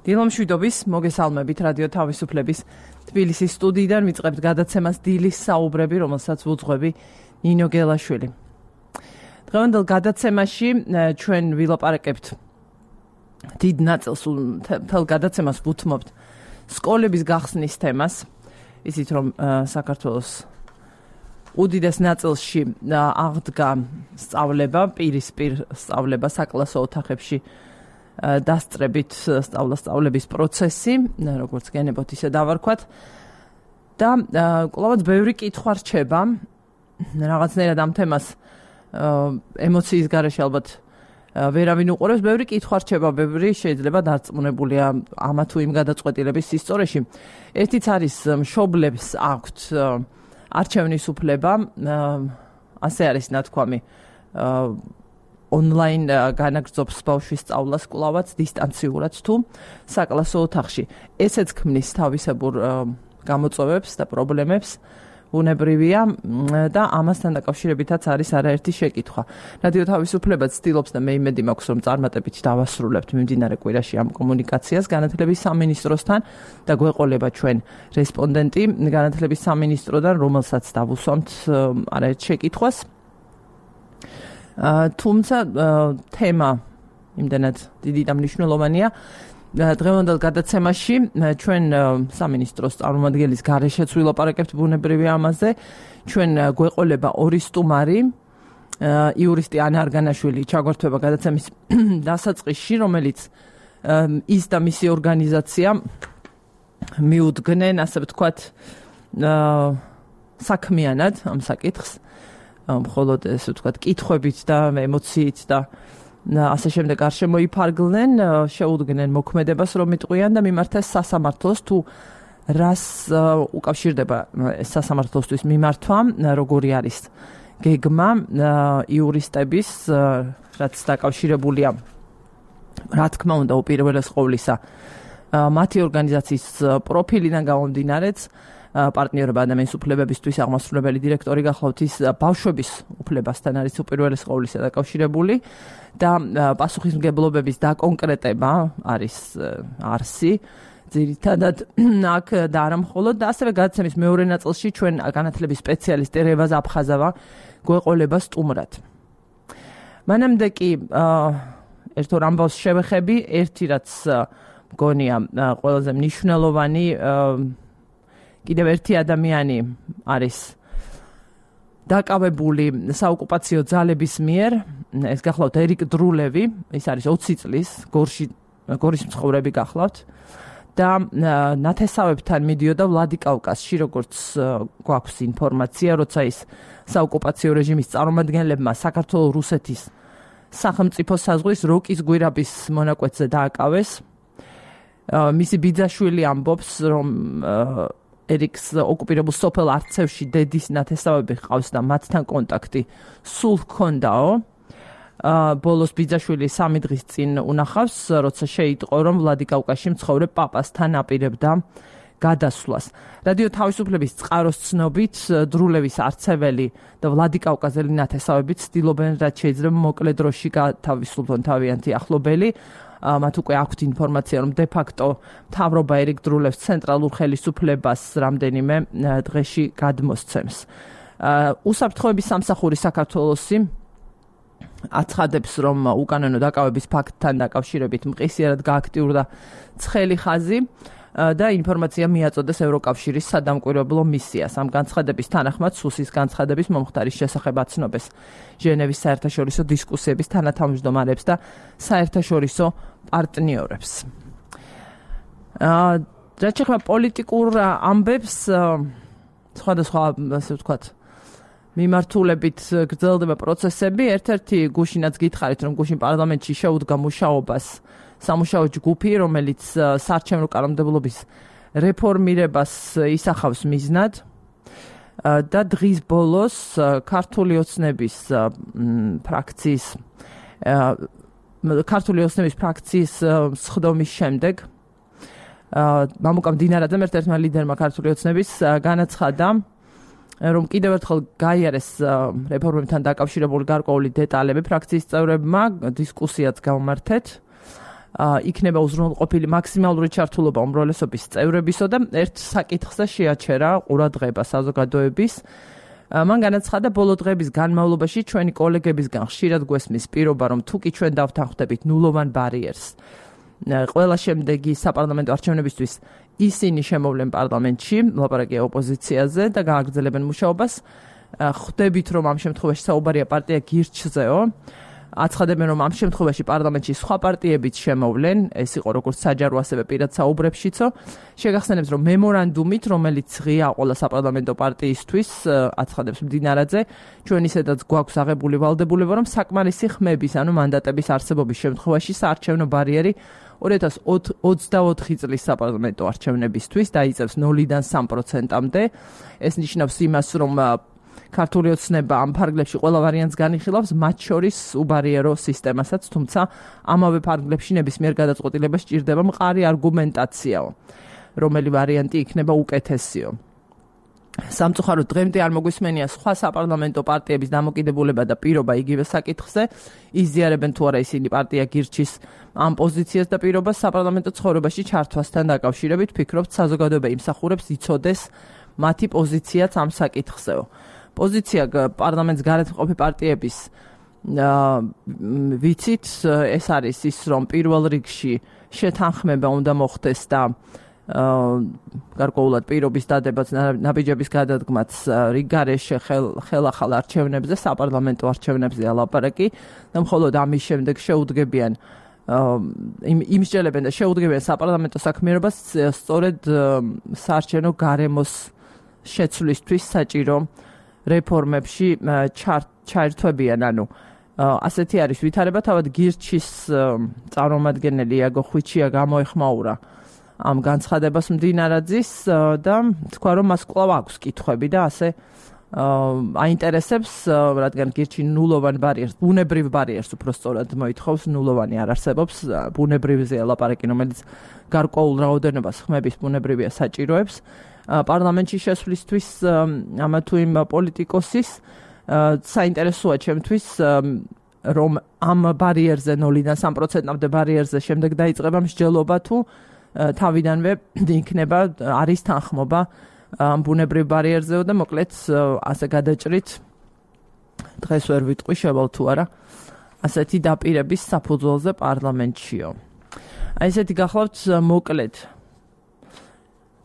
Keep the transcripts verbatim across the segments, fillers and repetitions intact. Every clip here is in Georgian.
დილომშვიდობის მოგესალმებით რადიო თავისუფლების თბილისის სტუდიიდან ვიწყებთ გადაცემას დილის საუბრები, რომელსაც ვუძღვები ნინო გელაშვილი. დღევანდელ გადაცემაში ჩვენ ვილაპარაკებთ დიდ ნაწილს მთელ გადაცემას ვუთმობთ სკოლების გახსნის თემას. ისიც რომ საქართველოს უდიდეს ნაწილში აღდგა სწავლება, პირისპირ სწავლება საკლასო ოთახებში დასწრებით სწავლა-სწავლების პროცესი, როგორც გენებოთ ისე დავარქვათ და კვლავაც ბევრი კითხვა რჩება, რაღაცნაირად ამ თემას ემოციის გარეშე ალბათ ვერავინ უყურებს, ბევრი კითხვა რჩება, ბევრი შეიძლება დარწმუნებულია ამა თუ იმ გადაწყვეტილების სისწორეში. ერთიც არის მშობლებს აქვთ არჩევნის უფლება, ასე არის ნათქვამი ონლაინ განაგრძობს ბავშვის სწავლას კვლავაც დისტანციურად თუ საკლასო ოთახში. ესეც ქმნის თავისებურ გამოწვევებს და პრობლემებს, უნებრივია და ამასთან დაკავშირებითაც არის არაერთი შეკითხვა. რადიო თავისუფლება ცდილობს და მე იმედი მაქვს, რომ წარმატებით დავასრულებთ მიმდინარე კვირაში ამ კომუნიკაციას განათლების სამინისტროსთან და გვეყოლება ჩვენ რესპონდენტი განათლების სამინისტროდან, რომელსაც დავუსვამთ არაერთ შეკითხვას. თუმცა თემა იმდენად დიდი და მნიშვნელოვანია. დღევანდელ გადაცემაში ჩვენ სამინისტროს წარმომადგენლის გარეშეც ვილაპარაკებთ ბუნებრივია ამაზე. ჩვენ გვეყოლება ორი სტუმარი, იურისტი ანა არგანაშვილი ჩაგვერთვება გადაცემის დასაწყისში, რომელიც ის და მისი ორგანიზაცია მიუდგნენ, ასე ვთქვათ, საქმიანად ამ საკითხს. მხოლოდ ესე ვთქვათ, კითხვებით და ემოციით და ასე შემდეგ არ შემოიფარგლნენ, შეუდგნენ მოქმედებას, რომ იტყვიან და მიმართეს სასამართლოს, თუ რას უკავშირდება ეს სასამართლოსთვის მიმართვა, როგორი არის გეგმა იურისტების, რაც დაკავშირებულია, რა თქმა უნდა, უპირველეს ყოვლისა, მათი ორგანიზაციის პროფილიდან გამომდინარეც, პარტნიორობა ადამიანის უფლებებისთვის აღმასრულებელი დირექტორი გახლავთ, ის ბავშვების უფლებასთან არის უპირველეს ყოვლისა დაკავშირებული და პასუხისმგებლობების დაკონკრეტება არის არსი ძირითადად აქ და არა მხოლოდ და ასევე გადაცემის მეორე ნაწილში ჩვენ განათლების სპეციალისტი რევაზ აფხაზავა გვეყოლება სტუმრად. მანამდე კი ერთ ორ ამბავს შევეხები, ერთი რაც მგონია ყველაზე მნიშვნელოვანი, კიდევ ერთი ადამიანი არის დაკავებული საოკუპაციო ძალების მიერ, ეს გახლავთ ერიკ დრულევი, ის არის ოცი წლის, გორში გორის მცხოვრები გახლავთ და ნათესავებთან მიდიოდა ვლადიკავკაზში, როგორც გვაქვს ინფორმაცია, როცა ის საოკუპაციო რეჟიმის წარმომადგენლებმა საქართველოს რუსეთის სახელმწიფო საზღვრის როკის გვირაბის მონაკვეთზე დააკავეს. მისი ბიძაშვილი ამბობს, რომ ერიკს ოკუპირებულ სოფელ არცევში დედის ნათესავები ჰყავს და მათთან კონტაქტი სულ ჰქონდაო. ბოლოს ბიძაშვილი სამი დღის წინ უნახავს, როცა შეიტყო, რომ ვლადიკავკაზში მცხოვრებ პაპასთან აპირებდა გადასვლას. რადიო თავისუფლების წყაროს ცნობით, დრულევის არცეველი და ვლადიკავკაზელი ნათესავები ცდილობენ, რაც შეიძლება მოკლე დროში გათავისუფლონ თავიანთი ახლობელი. მათ უკვე აქვთ ინფორმაცია, რომ de facto მთავრობა ერიკ დრულევს ცენტრალურ ხელისუფლებას რამდენიმე დღეში გადმოსცემს. უსაფრთხოების სამსახური საქართველოსი აცხადებს, რომ უკანონო დაკავების ფაქტთან დაკავშირებით მყისიერად გააქტიურდა ცხელი ხაზი და ინფორმაცია მიაწოდეს ევროკავშირის სადამკვირვებლო მისიას. ამ განცხადების თანახმად სუსის განცხადების მომხდარის შესახებ აცნობეს ჟენევის საერთაშორისო დისკუსიების თანათავმჯდომარებს და საერთაშორისო პარტნიორებს. რაც შეეხება პოლიტიკურ ამბებს, სხვადასხვა, ასე ვთქვათ, მიმართულებით გრძელდება პროცესები. ერთ-ერთი გუშინაც გითხარით, რომ გუშინ პარლამენტში შეუდგა მუშაობას სამუშაო ჯგუფი, რომელიც საარჩევნო კანონმდებლობის რეფორმირებას ისახავს მიზნად და დღის ბოლოს ქართული ოცნების ფრაქციის ქართული ოცნების ფრაქციის სხდომის შემდეგ მამუკამ დინარაძემ ერთ-ერთმა ლიდერმა ქართული ოცნების განაცხადა, რომ კიდევ ერთხელ გაიარეს რეფორმებთან დაკავშირებული გარკვეული დეტალები ფრაქციის წევრებმა, დისკუსიაც გამართეთ იქნება უზრუნველყოფილი მაქსიმალური ჩართულობა უმრავლესობის წევრებისო და ერთ საკითხზე შეაჩერა ყურადღება საზოგადოების. მან განაცხადა, ბოლო დღეების განმავლობაში ჩვენი კოლეგებისგან ხშირად გვესმის პირობა, რომ თუკი ჩვენ დავთანხმდებით ნულოვან ბარიერს, ყველა შემდეგი საპარლამენტო არჩევნებისთვის ისინი შემოვლენ პარლამენტში, ლაპარაკია ოპოზიციაზე და გააგრძელებენ მუშაობას. ხვდებით, რომ ამ შემთხვევაში საუბარია პარტია გირჩზეო. აცხადებენ, რომ ამ შემთხვევაში პარლამენტში სხვა პარტიებიც შემოვლენ, ეს იყო როგორც საჯარო, ასევე პირად საუბრებშიცო. შეგახსენებს, რომ მემორანდუმით, რომელიც ღია ყველა საპარლამენტო პარტიისთვის, აცხადებს მდინარაძე, ჩვენ ისედაც გვაქვს აღებული ვალდებულება, რომ საკმარისი ხმების, ანუ მანდატების არსებობის შემთხვევაში საარჩევნო ბარიერი ორი ათას ოცდაოთხი წლის საპარლამენტო არჩევნებისთვის დაიწევს ნულიდან სამ პროცენტამდე. ეს ნიშნავს იმას, რომ ქართული ოცნება ამ ფარგლებში ყველა ვარიანტს განიხილავს, მათ შორის უბარიერო სისტემასაც, თუმცა ამავე ფარგლებში ნებისმიერ გადაწყვეტილებას სჭირდება მყარი არგუმენტაციაო, რომელი ვარიანტი იქნება უკეთესიო. სამწუხაროდ დღემდე არ მოგვისმენია სხვა საპარლამენტო პარტიების დამოკიდებულება და პირობა იგივე საკითხზე, იზიარებენ თუ არა ისინი პარტია გირჩის ამ პოზიციას და პირობას საპარლამენტო ცხოვრებაში ჩართვასთან დაკავშირებით, ვფიქრობთ, საზოგადოება იმსახურებს იცოდეს მათი პოზიციაც ამ საკითხზეო. პოზიცია პარლამენტს გარეთ მყოფი პარტიების ვიცით, ეს არის ის, რომ პირველ რიგში შეთანხმება უნდა მოხდეს და გარკვეულად პირობის დადებაც, ნაბიჯების გადადგმაც რიგ გარეშე ხელახალ არჩევნებზე, საპარლამენტო არჩევნებზე ალაპარაკი და მხოლოდ ამის შემდეგ შეუდგებიან იმსჯელებენ და შეუდგებიან საპარლამენტო საქმიანობას სწორედ საარჩევნო გარემოს შეცვლისთვის საჭირო რეფორმებში ჩაერთვებიან, ანუ ასეთი არის ვითარება. თავად გირჩის წარმომადგენელი იაგო ხვიჩია გამოეხმაურა ამ განცხადებას მდინარაძის და თქვა, რომ მას კვლავ აქვს კითხვები და ასე აინტერესებს, რადგან გირჩი ნულოვან ბარიერს, ბუნებრივ ბარიერს უფრო სწორად მოითხოვს, ნულოვანი არ არსებობს, ბუნებრივზეა ლაპარაკი, რომელიც გარკვეულ რაოდენობას ხმების ბუნებრივია საჭიროებს. პარლამენტში შესვლისთვის ამა თუ იმ პოლიტიკოსის საინტერესოა ჩემთვის, რომ ამ ბარიერზე ნულიდან სამ პროცენტამდე ბარიერზე შემდეგ დაიწყება მსჯელობა თუ თავიდანვე იქნება არის თანხმობა ამ ბუნებრივ ბარიერზეო და მოკლედ ასე გადაჭრით დღეს ვერ ვიტყვი შევალ თუ არა ასეთი დაპირების საფუძველზე პარლამენტშიო. აი ესეთი გახლავთ მოკლედ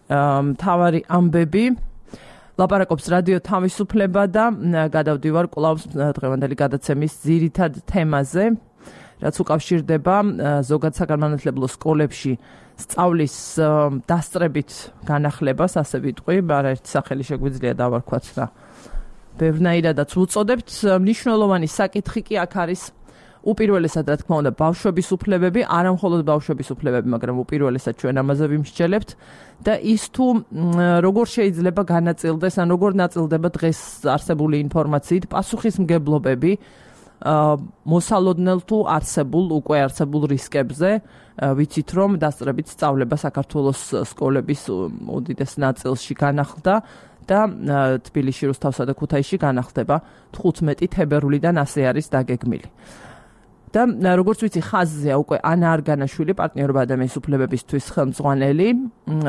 მთავარი ამბები. ლაპარაკობს რადიო თავისუფლება და გადავდივარ კვლავ დღევანდელი გადაცემის ძირითად თემაზე, რაც უკავშირდება ზოგად საგანმანათლებლო სკოლებში სწავლის დასწრებით განახლებას, ასე ვიტყვი, არაერთი სახელი შეგვიძლია დავარქვათ და ბევრნაირადაც ვუწოდებთ. მნიშვნელოვანი საკითხი კი აქ არის უპირველესად, რა თქმა უნდა, ბავშვების უფლებები, არა მხოლოდ ბავშვების უფლებები, მაგრამ უპირველესად ჩვენ ამაზე ვიმსჯელებთ და ის თუ როგორ შეიძლება განაწილდეს, ან როგორ ნაწილდება დღეს არსებული ინფორმაციით პასუხისმგებლობები მოსალოდნელ თუ არსებულ, უკვე არსებულ რისკებზე. ვიცით, რომ დასწრებით სწავლება საქართველოს სკოლების უდიდეს ნაწილში განახლდა და თბილისში, რუსთავსა და ქუთაისში განახლდება თხუთმეტი თებერვლიდან ასე არის დაგეგმილი. და როგორც ვიცი, ხაზზეა უკვე ანა არგანაშვილი, პარტნიორობა ადამიანის უფლებებისთვის ხელმძღვანელი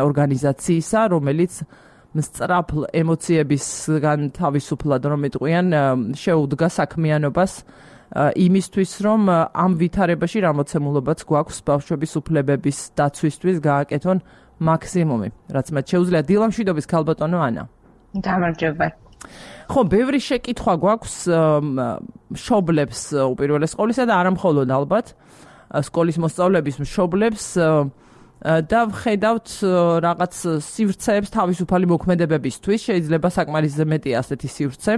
ორგანიზაციისა, რომელიც მსწრაფლ ემოციებისგან თავისუფლად რომ იტყვიან, შეუდგა საქმიანობას იმისთვის, რომ ამ ვითარებაში რამოცემულობაც გვაქვს ბავშვების უფლებების დაცვისთვის გააკეთონ მაქსიმუმი, რაც მათ შეუძლია. დილამშვიდობის ქალბატონო ანა. გამარჯობა. ხო, ბევრი შეკითხვა გვაქვს მშობლებს უპირველეს ყოვლისა და არა მხოლოდ ალბათ სკოლის მოსწავლეების მშობლებს და ვხედავთ რაღაც სივრცეებს თავისუფალი მოქმედებებისთვის, შეიძლება საკმარისზე მეტი ასეთი სივრცე.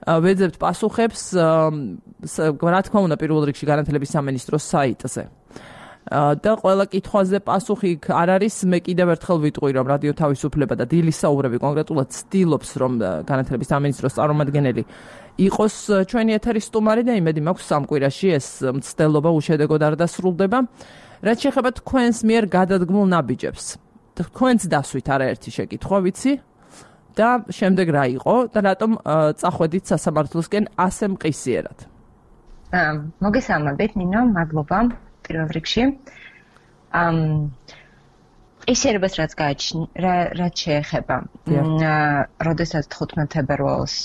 ვეძებთ პასუხებს, რა თქმა უნდა, პირველ რიგში განათლების სამინისტროს საიტზე. და ყველა კითხვაზე პასუხი არ არის. მე კიდევ ერთხელ ვიტყვი, რომ რადიო თავისუფლება და დილის საუბრები კონკრეტულად ცდილობს, რომ განათლების სამინისტროს წარმომადგენელი იყოს ჩვენი ეთერის სტუმარი და იმედი მაქვს სამ კვირაში ეს მცდელობა უშედეგოდ არ დასრულდება. რაც შეეხება თქვენს მიერ გადადგმულ ნაბიჯებს. თქვენს დასვით არაერთი შეკითხვა ვიცი და შემდეგ რა იყო და რატომ წახვედით სასამართლოსკენ ასე მყისიერად. მოგესალმებით, ნინო, მადლობა. პირველ რიგში. ამ ისერებას რაც გააჩნია, რაც შეეხება. როდესაც თხუთმეტ თებერვალს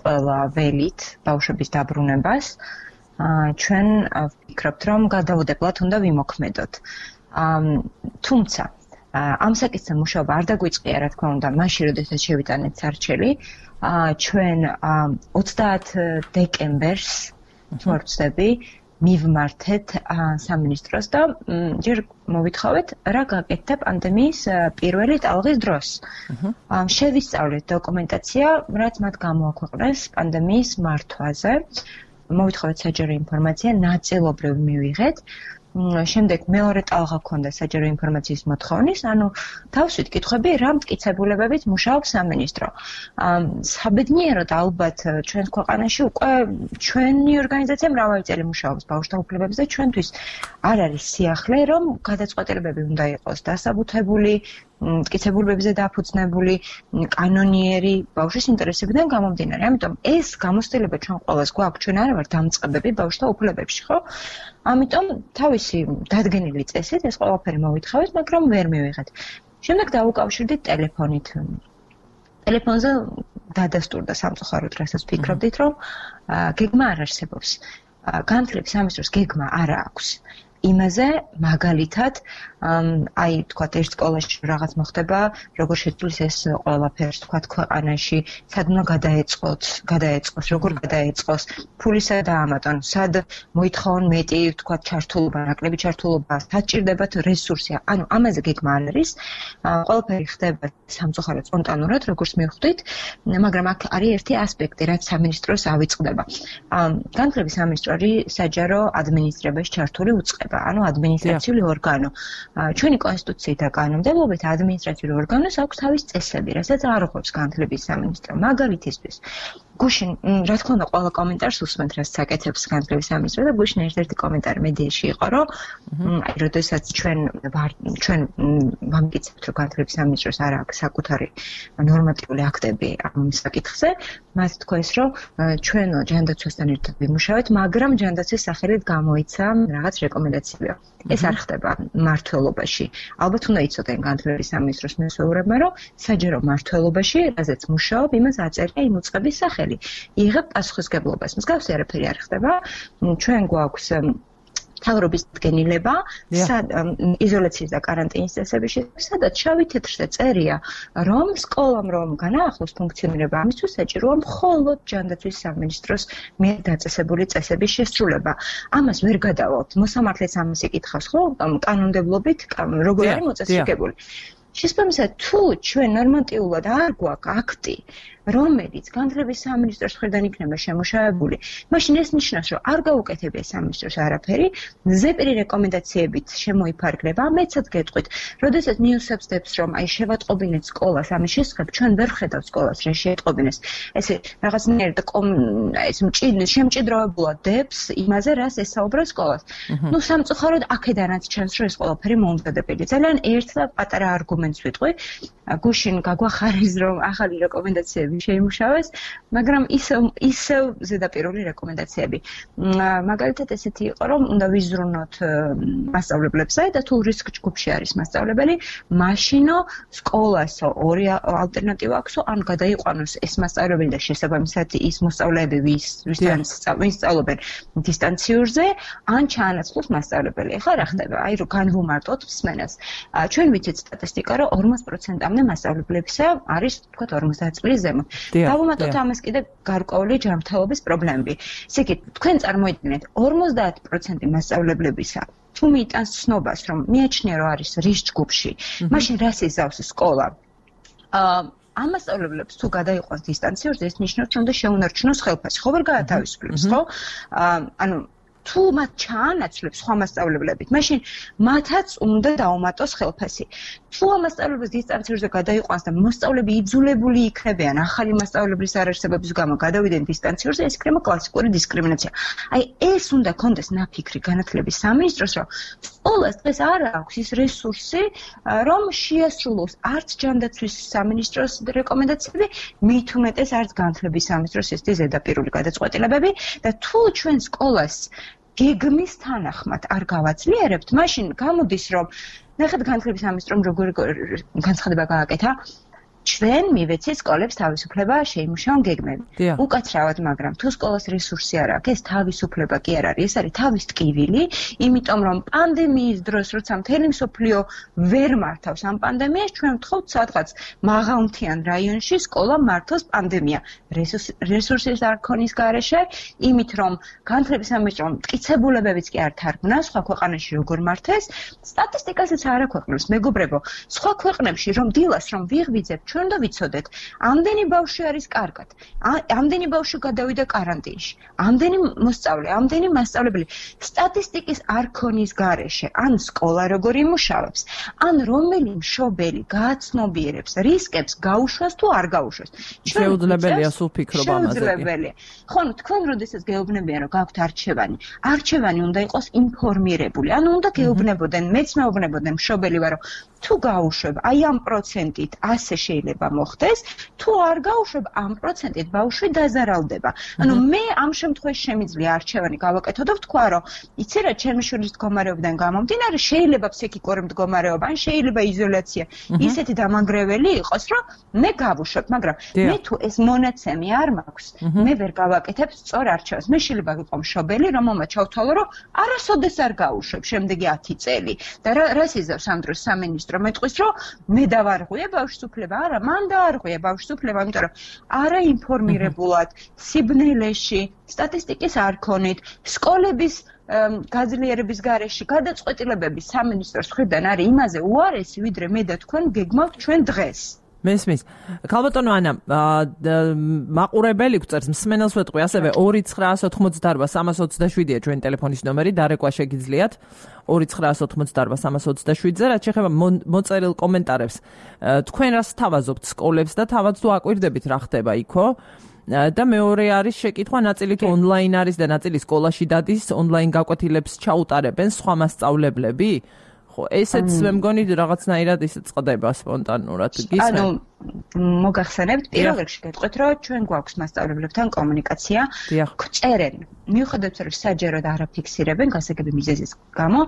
ყველა ველით ბავშვების დაბრუნებას, ჩვენ ვფიქრობთ, რომ გადაუდებლად უნდა ვიმოქმედოთ. თუმცა ამ საკითხზე მუშაობა არ დაგვიწყია, რა თქმა უნდა, მაშინ, როდესაც შევიტანეთ სარჩელი, ჩვენ ოცდაათ დეკემბერს, თუ არ ვცდები, მივმართეთ სამინისტროს და ჯერ მოვითხოვეთ, რა გაკეთდა პანდემიის პირველი ტალღის დროს. შევისწავლეთ დოკუმენტაცია, რაც მათ გამოაქვეყნეს პანდემიის მართვაზე. მოვითხოვეთ საჯარო ინფორმაცია, ნაწილობრივ მივიღეთ. შემდეგ მეორე ტალღა ქონდა საჯარო ინფორმაციის მოთხოვნის, ანუ თავსვით კითხვები, რა მტკიცებულებებით მუშაობს სამინისტრო. საბედნიეროდ ალბათ ჩვენს ქვეყანაში უკვე ჩვენი ორგანიზაცია მრავალი წელი მუშაობს ბავშვთა უფლებებზე და ჩვენთვის არ არის სიახლე, რომ გადაწყვეტილებები უნდა იყოს დასაბუთებული, მტკიცებულებებზე დაფუძნებული, კანონიერი ბავშვის ინტერესებიდან გამომდინარე. ამიტომ ეს გამოცდილება ჩვენ ყველას გვაქვს, ჩვენ არ ვართ დამწყებები ბავშვთა უფლებებში, ხო? ამიტომ თავისი დადგენილი წესით ეს ყველაფერი მოვითხოვეთ, მაგრამ ვერ მივიღეთ. შემდეგ დავუკავშირდით ტელეფონით. ტელეფონზე დადასტურდა სამწუხაროდ, რასაც ვფიქრობდით, რომ გეგმა არ არსებობს. განათლების სამინისტროს გეგმა არ აქვს. იმაზე მაგალითად, აი, თქვათ, ერთ სკოლაში რაღაც მოხდება, როგორ შეცვლის ეს ყველაფერს, თქვათ, ქვეყანაში, სად უნდა გადაეწყოთ, გადაეწყოს, როგორ გადაეწყოს, ფულისა დაამატონ, სად მოითხოვონ მეტი, თქვათ, ჩართულობა, ნაკლები ჩართულობა, სად ჭირდებათ რესურსი. ანუ ამაზე გეგმა არ არის. ყველაფერი ხდება სამწუხაროდ სპონტანურად, როგორც მივხვდით, მაგრამ აქ არის ერთი ასპექტი, რაც სამინისტროს ავიწყდება. განათლების სამინისტრო არის საჯარო ადმინისტრირებაში ჩართული უწყება. ანუ ადმინისტრაციული ორგანო. ჩვენი კონსტიტუციით და კანონმდებლობით ადმინისტრაციული ორგანოს აქვს თავის წესები, რასაც არ იღებს განათლების სამინისტრო. მაგალითისთვის, გუშინ, რა თქმა უნდა, ყველა კომენტარს უსმენთ, რასაც აკეთებს განათლების სამინისტრო და გუშინ ერთ-ერთი კომენტარი მედიაში იყო, რომ აი, როდესაც ჩვენ ჩვენ ვამტკიცებთ, რომ განათლების სამინისტროს არ აქვს საკუთარი ნორმატიული აქტები ამ საკითხზე, მათ თქვეს, რომ ჩვენ ჯანდაცვასთან ერთად ვიმუშავეთ, მაგრამ ჯანდაცვის სახელით გამოიცა რაღაც რეკომენდაციები. ეს არ ხდება მმართველობაში. ალბათ უნდა იცოდნენ განათლების სამინისტროს მესვეურებმა, რომ საჯარო მმართველობაში, რაზეც მუშაობ, იმას აწერია იმ უწყების სახელი. იღებ პასუხისგებლობას. მსგავსი არაფერი არ ხდება. ჩვენ გვაქვს მთავრობის დადგენილება, იზოლაციის და კარანტინის წესების შესახებ, სადაც შავი თეთრზე წერია, რომ სკოლამ რომ განაახლოს ფუნქციონირება, ამისთვის საჭიროა მხოლოდ ჯანდაცვის სამინისტროს მიერ დაწესებული წესების შესრულება. ამას ვერ გადავალთ. მოსამართლეც ამას იკითხავს, ხო? კანონმდებლობით როგორ არის მოწესრიგებული. შესაბამისად, თუ ჩვენ ნორმატიულად არ გვაქვს აქტი, რომელიც განათლების სამინისტროს მხრიდან იქნება შემუშავებული, მაშინ ეს ნიშნავს, რომ არ გაუკეთებია სამინისტროს არაფერი, ზეპირი რეკომენდაციებით შემოიფარგლება. მეცად გეტყვით, როდესაც ნიუსებს დებს, რომ აი შევატყობინეთ სკოლას, ამის შესახებ ჩვენ ვერ ვხედავთ სკოლას, რა შეეტყობინეს. ესე რაღაცნაირად ეს შემჭიდროვებულად დებს იმაზე, რას ესაუბრა სკოლას. ნუ სამწუხაროდ აქედანაც ჩანს, რომ ეს ყველაფერი მოუმზადებელია. ძალიან ერთ და პატარა არგუმენტს ვიტყვი. გუშინ გაგვახარეს, რომ ახალი რეკომენდაციები შეიმუშავეს, მაგრამ ისევ ისევ ზედაპირული რეკომენდაციები. მაგალითად ესეთი იყო, რომ უნდა ვიზრუნოთ მასწავლებლებსა და თუ რისკ ჯგუფში არის მასწავლებელი, მაშინო სკოლას ორი ალტერნატივა აქვსო, ან გადაიყვანოს ეს მასწავლებელი და შესაბამისად ის მოსწავლეები, ვის ვისთან სწავლობენ დისტანციურზე, ან ჩაანაცვლოს მასწავლებელი. ეხლა რა ხდება? აი რომ განვუმარტოთ მსმენელს. ჩვენ ვიცით სტატისტიკა, რომ ორმოც პროცენტამდე მასწავლებლებისა არის, თქვათ, ორმოცდაათ წლის ზემოთ. დავუმატოთ ამას კიდე გარკვეული ჯანმრთელობის პრობლემები. ესე იგი, თქვენ წარმოიდგინეთ, ორმოცდაათ პროცენტი მასწავლებლებისა თუ მიიტანს ცნობას, რომ მიაჩნია, რომ არის რისკ ჯგუფში, მაშინ რას იზავს სკოლა? ამ მასწავლებლებს თუ გადაიყვანს დისტანციურზე, ეს ნიშნავს, რომ უნდა შეუნარჩუნოს ხელფასი. ხო ვერ გაათავისუფლებს, ხო? ანუ თუ მათ ჩაანაცვლებს სხვა მასწავლებლებით, მაშინ მათაც უნდა დაუმატოს ხელფასი. თუ ამ მასწავლებლებს დისტანციურზე გადაიყვანს და მოსწავლეები იძულებული იქნებიან ახალი მასწავლებლის არარსებობის გამო გადავიდნენ დისტანციურზე, ეს იქნება კლასიკური დისკრიმინაცია. აი ეს უნდა კონდეს ნაფიქრი განათლების სამინისტროს, რომ სკოლას დღეს არ აქვს ის რესურსი, რომ შეასრულოს არც ჯანდაცვის სამინისტროს რეკომენდაციები, მით უმეტეს არც განათლების სამინისტროს ესეთი ზედაპირული გადაწყვეტილებები და თუ ჩვენ სკოლას გეგმის თანახმად არ გავაძლიერებთ, მაშინ გამოდის, რომ ნახეთ განათლების სამინისტრომ როგორი განცხადება გააკეთა, ჩვენ მივეცით სკოლებს თავისუფლება შეიმუშაონ გეგმები. უკაცრავად, მაგრამ თუ სკოლას რესურსი არ აქვს, ეს თავისუფლება კი არ არის, ეს არის თავის ტკივილი, იმიტომ რომ პანდემიის დროს, როცა მთელი მსოფლიო ვერ მართავს ამ პანდემიას, ჩვენ ვთხოვთ სადღაც მაღალმთიან რაიონში სკოლა მართოს პანდემია. რესურსის არ ქონის გარეშე, იმით რომ განათლების სამინისტრომ მტკიცებულებებიც კი არ თარგმნა, სხვა ქვეყანაში როგორ მართეს, სტატისტიკასაც არ აქვეყნებს, მეგობრებო, სხვა ქვეყნებში რომ დილას რომ ვიღვიძებთ ჩვენ და ვიცოდეთ, ამდენი ბავშვი არის კარგად, ამდენი ბავშვი გადავიდა კარანტინში, ამდენი მოსწავლე, ამდენი მასწავლებელი, სტატისტიკის არ ქონის გარეშე, ან სკოლა როგორ იმუშავებს, ან რომელი მშობელი გააცნობიერებს რისკებს გაუშვას თუ არ გაუშვას. შეუძლებელია სულ ფიქრობა ამაზე. შეუძლებელია. ხო, თქვენ როდესაც გეუბნებიან, რომ გაქვთ არჩევანი, არჩევანი უნდა იყოს ინფორმირებული, ანუ უნდა გეუბნებოდნენ, მეც მეუბნებოდნენ მშობელი ვარო, თუ გაუშვებ, აი ამ პროცენტით ასე შეიძლება მოხდეს, თუ არ გაუშვებ, ამ პროცენტით ბავშვი დაზარალდება. ანუ მე ამ შემთხვევაში შემიძლია არჩევანი გავაკეთო და ვთქვა, რომ იცი რა, ჩემი შვილის მდგომარეობიდან გამომდინარე, შეიძლება ფსიქიკური მდგომარეობა, ან შეიძლება იზოლაცია ისეთი დამანგრეველი იყოს, რომ მე გავუშვებ, მაგრამ მე თუ ეს მონაცემი არ მაქვს, მე ვერ გავაკეთებ სწორ არჩევანს. მე შეიძლება ვიყო მშობელი, რომელმაც ჩავთვალო, რომ არასოდეს არ გაუშვებ შემდეგი ათი წელი. და რას იზავს ამ დროს სამინისტრო მეტყვის, რომ მე დავარღვია ბავშვის უფლება, არა, მან დაარღვია ბავშვის უფლება, იმიტომ რომ არა ინფორმირებულად, სიბნელეში, სტატისტიკის არ ქონით, სკოლების გაძლიერების გარეშე გადაწყვეტილებების სამინისტროს მხრიდან არის იმაზე უარესი, ვიდრე მე და თქვენ გეგმავთ ჩვენ დღეს. მესმის. ქალბატონო ანა, მაყურებელი გვწერს, მსმენელს ვეთყვი, ასევე ორი ცხრაასი ოთხმოცდაორბა სამას ოცდაშვიდია ჩვენი ტელეფონის ნომერი, დარეკვა შეგიძლიათ ორი ცხრაასი ოთხმოცდაორბა სამას ოცდაშვიდზე, რაც შეეხება მოწერილ კომენტარებს. თქვენ რას თავაზობთ სკოლებს და თავად თუ აკვირდებით რა ხდება იქო? და მეორე არის შეკითხვა, ნაწილი თუ ონლაინ არის და ნაწილი სკოლაში დადის, ონლაინ გაკვეთილებს ჩაუტარებენ სხვა მასწავლებლები? ხო, ესეც მე მგონი რაღაცნაირად ისე წყდება სპონტანურად. ანუ მოგახსენებთ, პირველ რიგში გეტყვით, რომ ჩვენ გვაქვს მასწავლებლებთან კომუნიკაცია, გვწერენ. მიუხედავად რომ საჯაროდ არ აფიქსირებენ გასაგები მიზეზის გამო,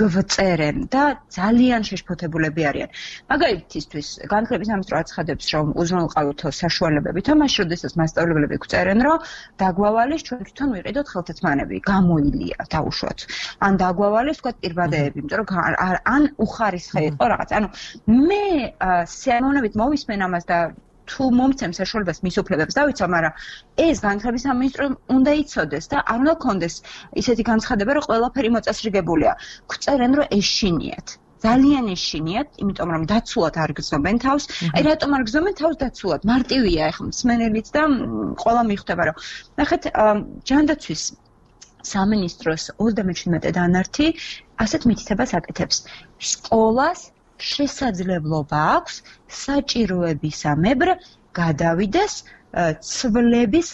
გვწერენ და ძალიან შეშფოთებულები არიან. მაგალითისთვის, განათლების სამინისტრო აცხადებს, რომ უზრუნველყავითო საშუალებები, თამაში როდესაც მასწავლებლები გვწერენ, რომ დაგვავალეს ჩვენ თვითონ ვიყიდოთ ხელთათმანები, გამოილია დაუშვათ. ან დაგვავალეს თქვა პირბადეები, იმიტომ რომ ან უხარისხე იყო რაღაც. ანუ მე სიამოვნებით მოვისმენ ამას და თუ მომცემ საშუალებას მის უფლებებს დავიცვა, მაგრამ ეს განათლების სამინისტრომ უნდა იცოდეს და არ უნდა კონდეს ისეთი განცხადება, რომ ყველაფერი მოწესრიგებულია. გვწერენ, რომ ეშინიათ. ძალიან ეშინიათ, იმიტომ რომ დაცულად არ გრძნობენ თავს. აი რატომ არ გრძნობენ თავს დაცულად? მარტივია ახლა მსმენელიც და ყველა მიხვდება, რომ ნახეთ, ჯანდაცვის სამინისტროს ოცდამეჩვიდმეტე დანართი ასეთ მითითებას აკეთებს. სკოლას შესაძლებლობა აქვს საჭიროებისამებრ გადავიდეს ცვლების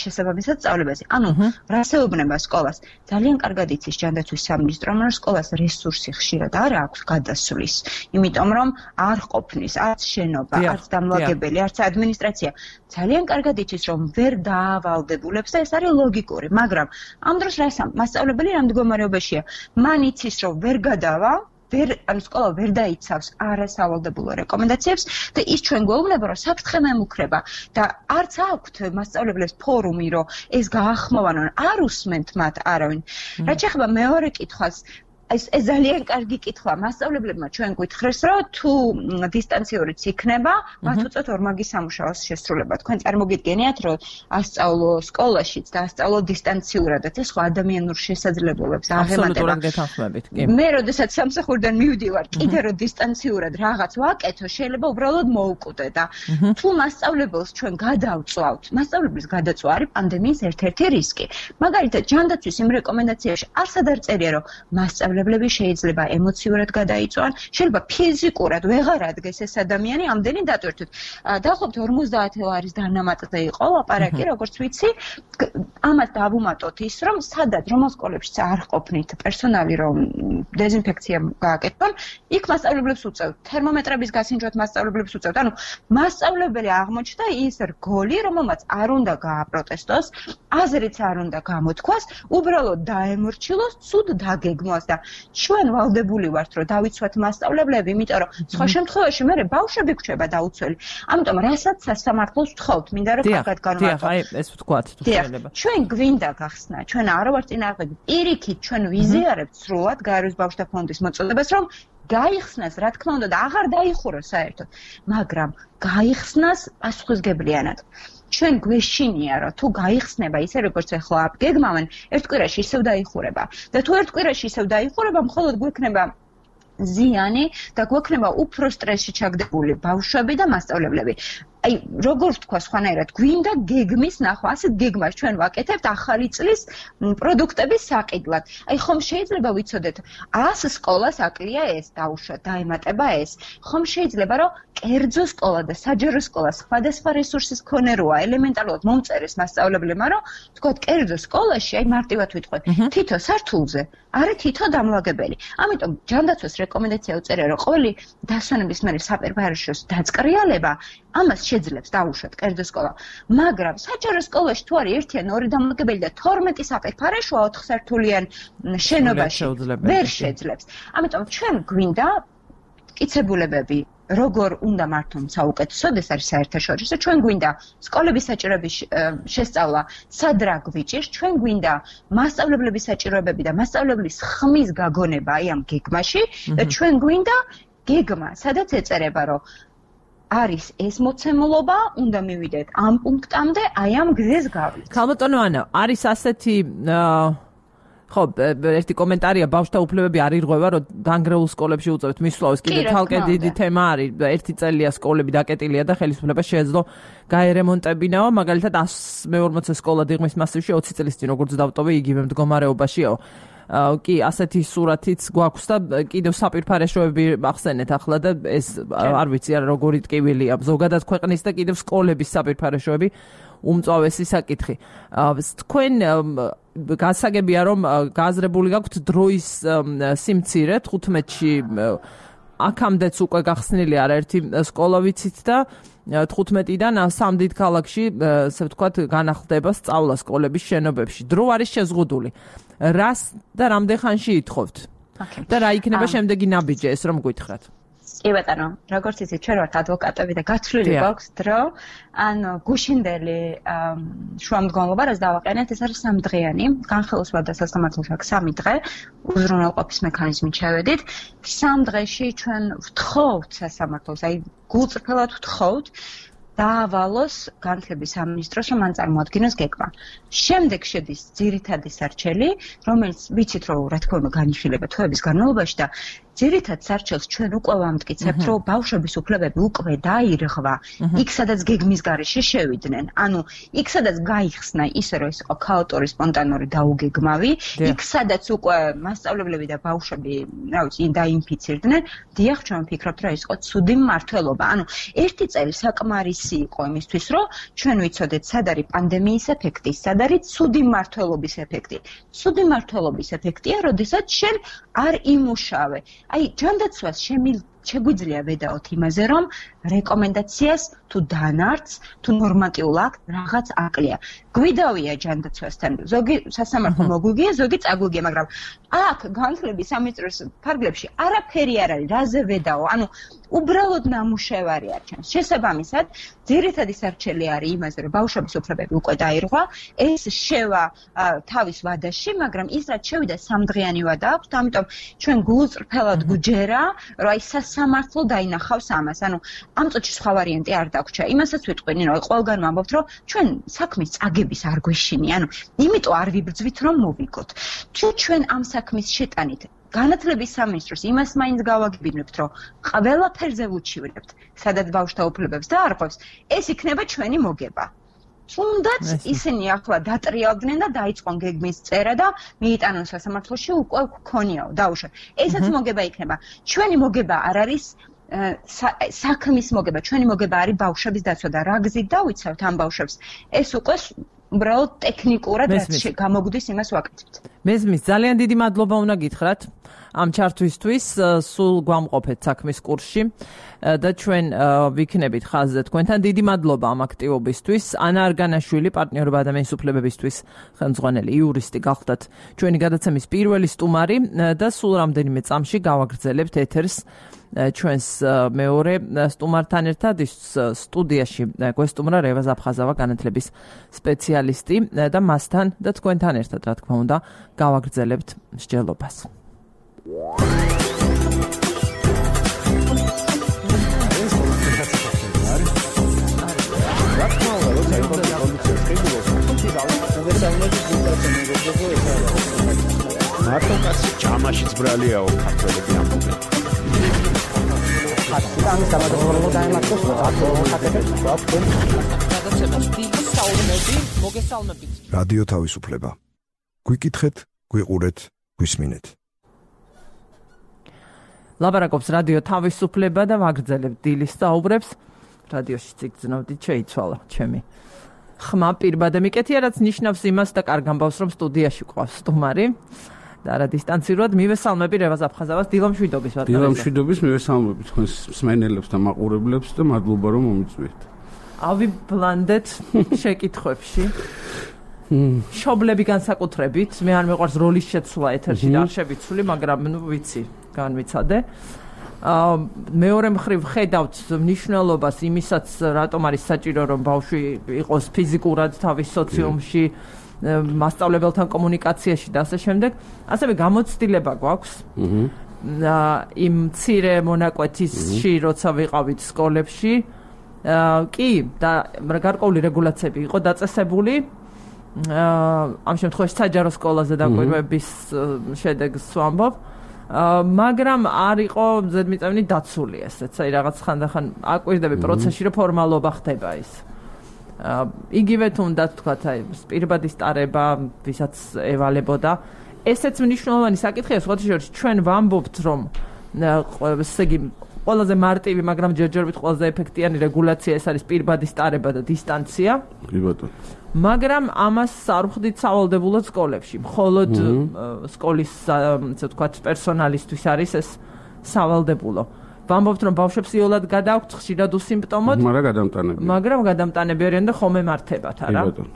შესაბამისად სწავლებაზე. ანუ რას ეუბნება სკოლას? ძალიან კარგად იცის ჯანდაცვის სამინისტრომ, რომ სკოლას რესურსი ხშირად არ აქვს გადასვლის, იმიტომ რომ არ ყოფნის არც შენობა, არც დამლაგებელი, არც ადმინისტრაცია. ძალიან კარგად იცის, რომ ვერ დაავალდებულებს და ეს არის ლოგიკური, მაგრამ ამ დროს რას მასწავლებელი რამ მდგომარეობაშია? მან იცის, რომ ვერ გადავა ვერ ანუ სკოლა ვერ დაიცავს არასავალდებულო რეკომენდაციებს და ის ჩვენ გვეუბნება, რომ საფრთხე მემუქრება და არც აქვთ მასწავლებლებს ფორუმი, რომ ეს გაახმოვანონ, არ უსმენთ მათ არავინ. რაც შეეხება მეორე კითხვას, ეს ეს ძალიან კარგი კითხვა. მასწავლებლებმა ჩვენ გითხრეს, რომ თუ დისტანციურიც იქნება, მათ უწევთ ორმაგი სამუშაოს შესრულება. თქვენ წარმოგიდგენიათ, რომ ასწავლო სკოლაშიც და ასწავლო დისტანციურადაც, ეს ხო ადამიანურ შესაძლებლობებს აღემატება. მე როდესაც სამსახურიდან მივდივარ, კიდე რომ დისტანციურად რაღაც ვაკეთო, შეიძლება უბრალოდ მოუკვდე და თუ მასწავლებელს ჩვენ გადავწვავთ, მასწავლებლის გადაწვა არის პანდემიის ერთ-ერთი რისკი. მაგალითად, ჯანდაცვის იმ რეკომენდაციაში არსად არ წერია, რომ მასწავლებელი მასწავლებლები შეიძლება ემოციურად გადაიწვან, შეიძლება ფიზიკურად ვეღარ ადგეს ეს ადამიანი ამდენი დატვირთვით. დაახლოებით ორმოცდაათი ლარის დანამატზე იყო ლაპარაკი, როგორც ვიცი, ამას დავუმატოთ ის, რომ სადაც რომელ სკოლებშიც არ ყოფნით პერსონალი, რომ დეზინფექცია გააკეთონ, იქ მასწავლებლებს უწევთ, თერმომეტრების გასინჯვათ მასწავლებლებს უწევთ. ანუ მასწავლებელი აღმოჩნდა ის რგოლი, რომელმაც არ უნდა გააპროტესტოს, აზრიც არ უნდა გამოთქვას, უბრალოდ დაემორჩილოს, ცუდ დაგეგმოს და ჩვენ ვალდებული ვართ, რომ დავიცვათ მასწავლებლები, იმიტომ რომ სხვა შემთხვევაში მე ბავშვები გვჩება დაუცველი. ამიტომ რასაც სასამართლოს ვთხოვთ, მინდა რომ კარგად განვარტყოთ. დიახ, აი ეს ვთქვათ, თუ შეიძლება. ჩვენ გვინდა გახსნა, ჩვენ არ ვართ წინააღმდეგ. პირიქით ჩვენ ვიზიარებთ სრულად გაეროს ბავშვთა ფონდის მოწოდებას, რომ გაიხსნას, რა თქმა უნდა, და აღარ დაიხუროს საერთოდ, მაგრამ გაიხსნას პასუხისგებლიანად. ჩვენ გვეშინია, რომ თუ გაიხსნება ისე როგორც ახლა გეგმავენ, ერთ კვირაში ისევ დაიხურება. და თუ ერთ კვირაში ისევ დაიხურება, მხოლოდ გვექნება ზიანი და გვექნება უფრო სტრესში ჩაგდებული ბავშვები და მასწავლებლები. აი, როგორ ვთქვა სხვანაირად, გვინდა გეგმის ნახვა, ასეთ გეგმას ჩვენ ვაკეთებთ ახალი წლის პროდუქტების საყიდლად. აი, ხომ შეიძლება ვიცოდეთ, ას სკოლას აკლია ეს, დაუშვათ, დაემატება ეს. ხომ შეიძლება, რომ კერძო სკოლა და საჯარო სკოლა სხვადასხვა რესურსის მქონე როა, ელემენტარულად მომწერეს მასწავლებლებმა, რომ თქვათ, კერძო სკოლაში, აი, მარტივად ვიტყვი, თითო სართულზე არის თითო დამლაგებელი. ამიტომ ჯანდაცვას რეკომენდაცია უწერია, რომ ყოველი დასვენების მერე საპირფარეშოს დაწყრიალება ამას შეძლებს დაუშვათ კერძო სკოლა. მაგრამ საჯარო სკოლაში თუ არის ერთი ან ორი დამლაგებელი და თორმეტი საპირფარეშოა ოთხსართულიან შენობაში ვერ შეძლებს. ამიტომ ჩვენ გვინდა მტკიცებულებები როგორ უნდა მართონ საუკეთესოდ, ეს არის საერთაშორისო. ჩვენ გვინდა სკოლების საჭიროების შესწავლა, სად რა გვიჭირს, ჩვენ გვინდა მასწავლებლების საჭიროებები და მასწავლებლის ხმის გაგონება აი ამ გეგმაში და ჩვენ გვინდა გეგმა, სადაც ეწერება, რომ არის ეს მოცემულობა, უნდა მივიდეთ ამ პუნქტამდე, აი ამ გზეს გავიდეთ. ქალბატონო ანა, არის ასეთი ხო, ერთი კომენტარია, ბავშვთა უფლებები არ ირღვევა, რომ დანგრეულ სკოლებში უწევთ მისვლას, კიდე თალკე დიდი თემა არის. ერთი წელია სკოლები დაკეტილია და ხელისუფლება შეეძლო გაერემონტებინაო, მაგალითად εκατს მეორმოცე სკოლა დიღმის მასივში ოცი წლის წინ როგორც დავტოვე, იგივე მდგომარეობაშიაო. კი, ასეთი სურათიც გვაქვს და კიდევ საპირფარეშოები ახსენეთ ახლა და ეს არ ვიცი არა როგორი ტკივილია ზოგადად ქვეყნის და კიდევ სკოლების საპირფარეშოები უმწვავესი საკითხი. თქვენ გასაგებია რომ გააზრებული გაქვთ დროის სიმცირე თხუთმეტში აქამდეც უკვე გახსნილი არაერთი სკოლა ვიცით და თხუთმეტიდან სამ დიდ ქალაქში ასე ვთქვათ განახლდება სწავლა სკოლების შენობებში. დრო არის შეზღუდული. რას და რამდენ ხანში ითხოვთ? და რა იქნება შემდეგი ნაბიჯი ეს რომ გვითხრათ? კი ბატონო, როგორც იცით, ჩვენ ვართ ადვოკატები და გათვლილი გვაქვს დრო. ანუ გუშინდელი შუამდგომლობა, რაც დავაყენეთ, ეს არის სამდღიანი. განხილვა და სასამართლოს აქვს სამი დღე. უზრუნველყოფის მექანიზმით შევედით. სამ დღეში ჩვენ ვთხოვთ სასამართლოს, აი გულწრფელად ვთხოვთ დაავალოს განათლების სამინისტროს, რომ მან წარმოადგინოს გეგმა. შემდეგ შედის ძირითადი სარჩელი, რომელიც ვიცით, რომ რა თქმა უნდა განიხილება თვეების განმავლობაში და ძირითად სარჩელს ჩვენ უკვე ვამტკიცებთ, რომ ბავშვების უფლებები უკვე დაირღვა, იქ სადაც გეგმის გარეშე შევიდნენ. ანუ იქ სადაც გაიხსნა ისე, რომ ეს იყო ქაოტური, სპონტანური დაუგეგმავი, იქ სადაც უკვე მასწავლებლები და ბავშვები, რა ვიცი, დაინფიცირდნენ, დიახ, ჩვენ ვფიქრობთ, რომ ეს იყო ცუდი მმართველობა. ანუ ერთი წელი საკმარისი იყო იმისთვის, რომ ჩვენ ვიცოდეთ, სად არის პანდემიის ეფექტი, სად არის ცუდი მმართველობის ეფექტი. ცუდი მმართველობის ეფექტია, როდესაც შენ არ იმუშავე. აი, ჯანდაცვას შეგვიძლია ვედაოთ იმაზე, რომ რეკომენდაციას თუ დანარჩს, თუ ნორმატიულ აქტს რაღაც აკლია. გვიდავია ჯანდაცვასთან. ზოგი სასამართლო მოგვიგია, ზოგი წაგვიგია, მაგრამ აქ განათლების სამინისტროს ფარგლებში არაფერი არ არის, რაზე ვედაო. ანუ უბრალოდ ნამუშევარი არჩევს. შესაბამისად, ძირითადი სარჩელი არის იმაზე, რომ ბავშვების უფლებები უკვე დაირღვა, ეს შევა თავის ვადაში, მაგრამ ის რაც შევიდა სამდღიანი ვადა აქვს, ამიტომ ჩვენ გულწრფელად გვჯერა, რომ აი სასამართლო დაინახავს ამას. ანუ ამ წუთში სხვა ვარიანტი არ დაგვრჩა. იმასაც ვიტყვინი, რომ ყველგან ვამბობთ, რომ ჩვენ საქმის წაგების არ გვეშინია. ანუ იმიტომ არ ვიბრძვით, რომ მოვიგოთ. თუ ჩვენ ამ საქმის შეტანით განათლების სამინისტროს იმას მაინც გავაგებინებთ, რომ ყველაფერზე ვუჩივრებთ, სადაც ბავშვთა უფლებებს დაარღვევს, ეს იქნება ჩვენი მოგება. თუნდაც ისინი ახლა დატრიალდნენ და დაიწყონ გეგმის წერა და მიიტანონ სასამართლოში უკვე გქონიაო დაუშვათ. ესაც მოგება იქნება. ჩვენი მოგება არ არის საქმის მოგება, ჩვენი მოგება არის ბავშვების დაცვა და რა გზით დავიცავთ ამ ბავშვებს. ეს უკვე უბრალოდ ტექნიკურად რაც გამოგვდის იმას ვაკეთებთ. მესმის, ძალიან დიდი მადლობა უნდა გითხრათ ამ ჩართვისთვის, სულ გვამყოფეთ საქმის კურსში და ჩვენ ვიქნებით ხაზზე თქვენთან. დიდი მადლობა ამ აქტივობისთვის. ანა არგანაშვილი, პარტნიორობა ადამიანის უფლებებისთვის ხელმძღვანელი იურისტი გახდათ ჩვენი გადაცემის პირველი სტუმარი და სულ რამდენიმე წამში გავაგრძელებთ ეთერს ჩვენს მეორე სტუმართან ერთად. ის სტუდიაში გვესტუმრა რევა ზაფხაზავა, განათლების სპეციალისტი და მასთან და თქვენთან ერთად, რა თქმა უნდა, გავაგრძელებთ მსჯელობას. მარტო კაცი ჯამაშიც ბრალიაო ქართველები ამბობენ. ამის გამარჯვება დაემართოს აკეთებს მოგესალმებით. რადიო თავისუფლება. გვიკითხეთ, გვიყურეთ, გვისმინეთ. ლაპარაკობს რადიო თავისუფლება და ვაგრძელებთ დილის საუბრებს. რადიოში ციგრძნობდით, შეიცვალა ჩემი ხმა პირბადე მიკეთია, რაც ნიშნავს იმას და კარგ ამბავს, რომ სტუდიაში ყავს სტუმარი. და რა დისტანციურად მივესალმები რევაზ აფხაზავას დილამშვიდობის ვატარებდა. დილამშვიდობის მივესალმები თქვენს მსმენელებს და მაყურებლებს და მადლობა რომ მომიწვიეთ. ავიბლანდეთ შეკითხვებში. შობლები განსაკუთრებით, მე არ მეყვარს როლის შეცვლა ეთერში და არ შევიცვლი, მაგრამ ნუ ვიცი, განვიცადე. აა მეორე მხრივ ხედავთ მნიშვნელობას იმისაც, რატომ არის საჭირო რომ ბავშვი იყოს ფიზიკურად თავის სოციუმში, მასწავლებელთან კომუნიკაციაში და ასე შემდეგ. ასევე გამოცდილება გვაქვს. აა იმ მცირე მონაკვეთისში, როცა ვიყავით სკოლებში, აა კი და გარკვეული რეგულაციები იყო დაწესებული. აა ამ შემთხვევაში საჯარო სკოლაზე დაკვირვების შედეგს ვამბობ. მაგრამ არ იყო ზედმიწევნით დაცული ესეც, აი რაღაც ხანდახან აკვირდები პროცესში, რომ ფორმალობა ხდება ის. იგივე თუნდაც თქვათ, აი პირბადის ტარება, ვისაც ევალებოდა. ესეც მნიშვნელოვანი საკითხია, სხვათა შორის ჩვენ ვამბობთ, რომ ესე იგი ყველაზე მარტივი, მაგრამ ჯერჯერობით ყველაზე ეფექტიანი რეგულაცია ეს არის პირბადის ტარება და დისტანცია. კი ბატონო. მაგრამ ამას არ ვხდით სავალდებულოდ სკოლებში. მხოლოდ სკოლის, ასე ვთქვათ, პერსონალისთვის არის ეს სავალდებულო. ვამბობთ, რომ ბავშვებს იოლად გადააქვთ ხშირად უსიმპტომოდ, მაგრამ გადამტანები. მაგრამ გადამტანები არიან და ხომ ემართებათ, არა? კი ბატონო.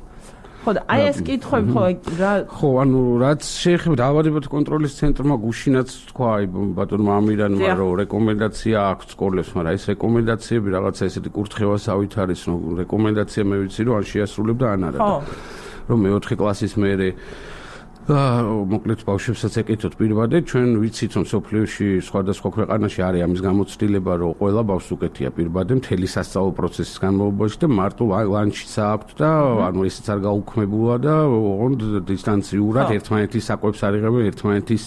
ხო, და აი ეს კითხვები ხო რა ხო, ანუ რაც შეეხება დაავადებათა კონტროლის ცენტრმა გუშინაც თქვა, აი ბატონმა ამირანმა, რომ რეკომენდაცია აქვს სკოლებს, მაგრამ ეს რეკომენდაციები რაღაცა ესეთი კურთხევასავით არის, რომ რეკომენდაცია მე ვიცი, რომ არ შეასრულებდა ან არა. რომ მეოთხე კლასის მერე მოკლედ ბავშვებსაც ეკეთოთ პირბადე, ჩვენ ვიცით, რომ სოფლიოში სხვადასხვა ქვეყანაში არის ამის გამოცდილება, რომ ყველა ბავშვს უკეთია პირბადე მთელი სასწავლო პროცესის განმავლობაში და მარტო ლანჩიც აქვთ და ანუ ესეც არ გაუქმებულა და ოღონდ დისტანციურად ერთმანეთის საკვებს არ იღებენ, ერთმანეთის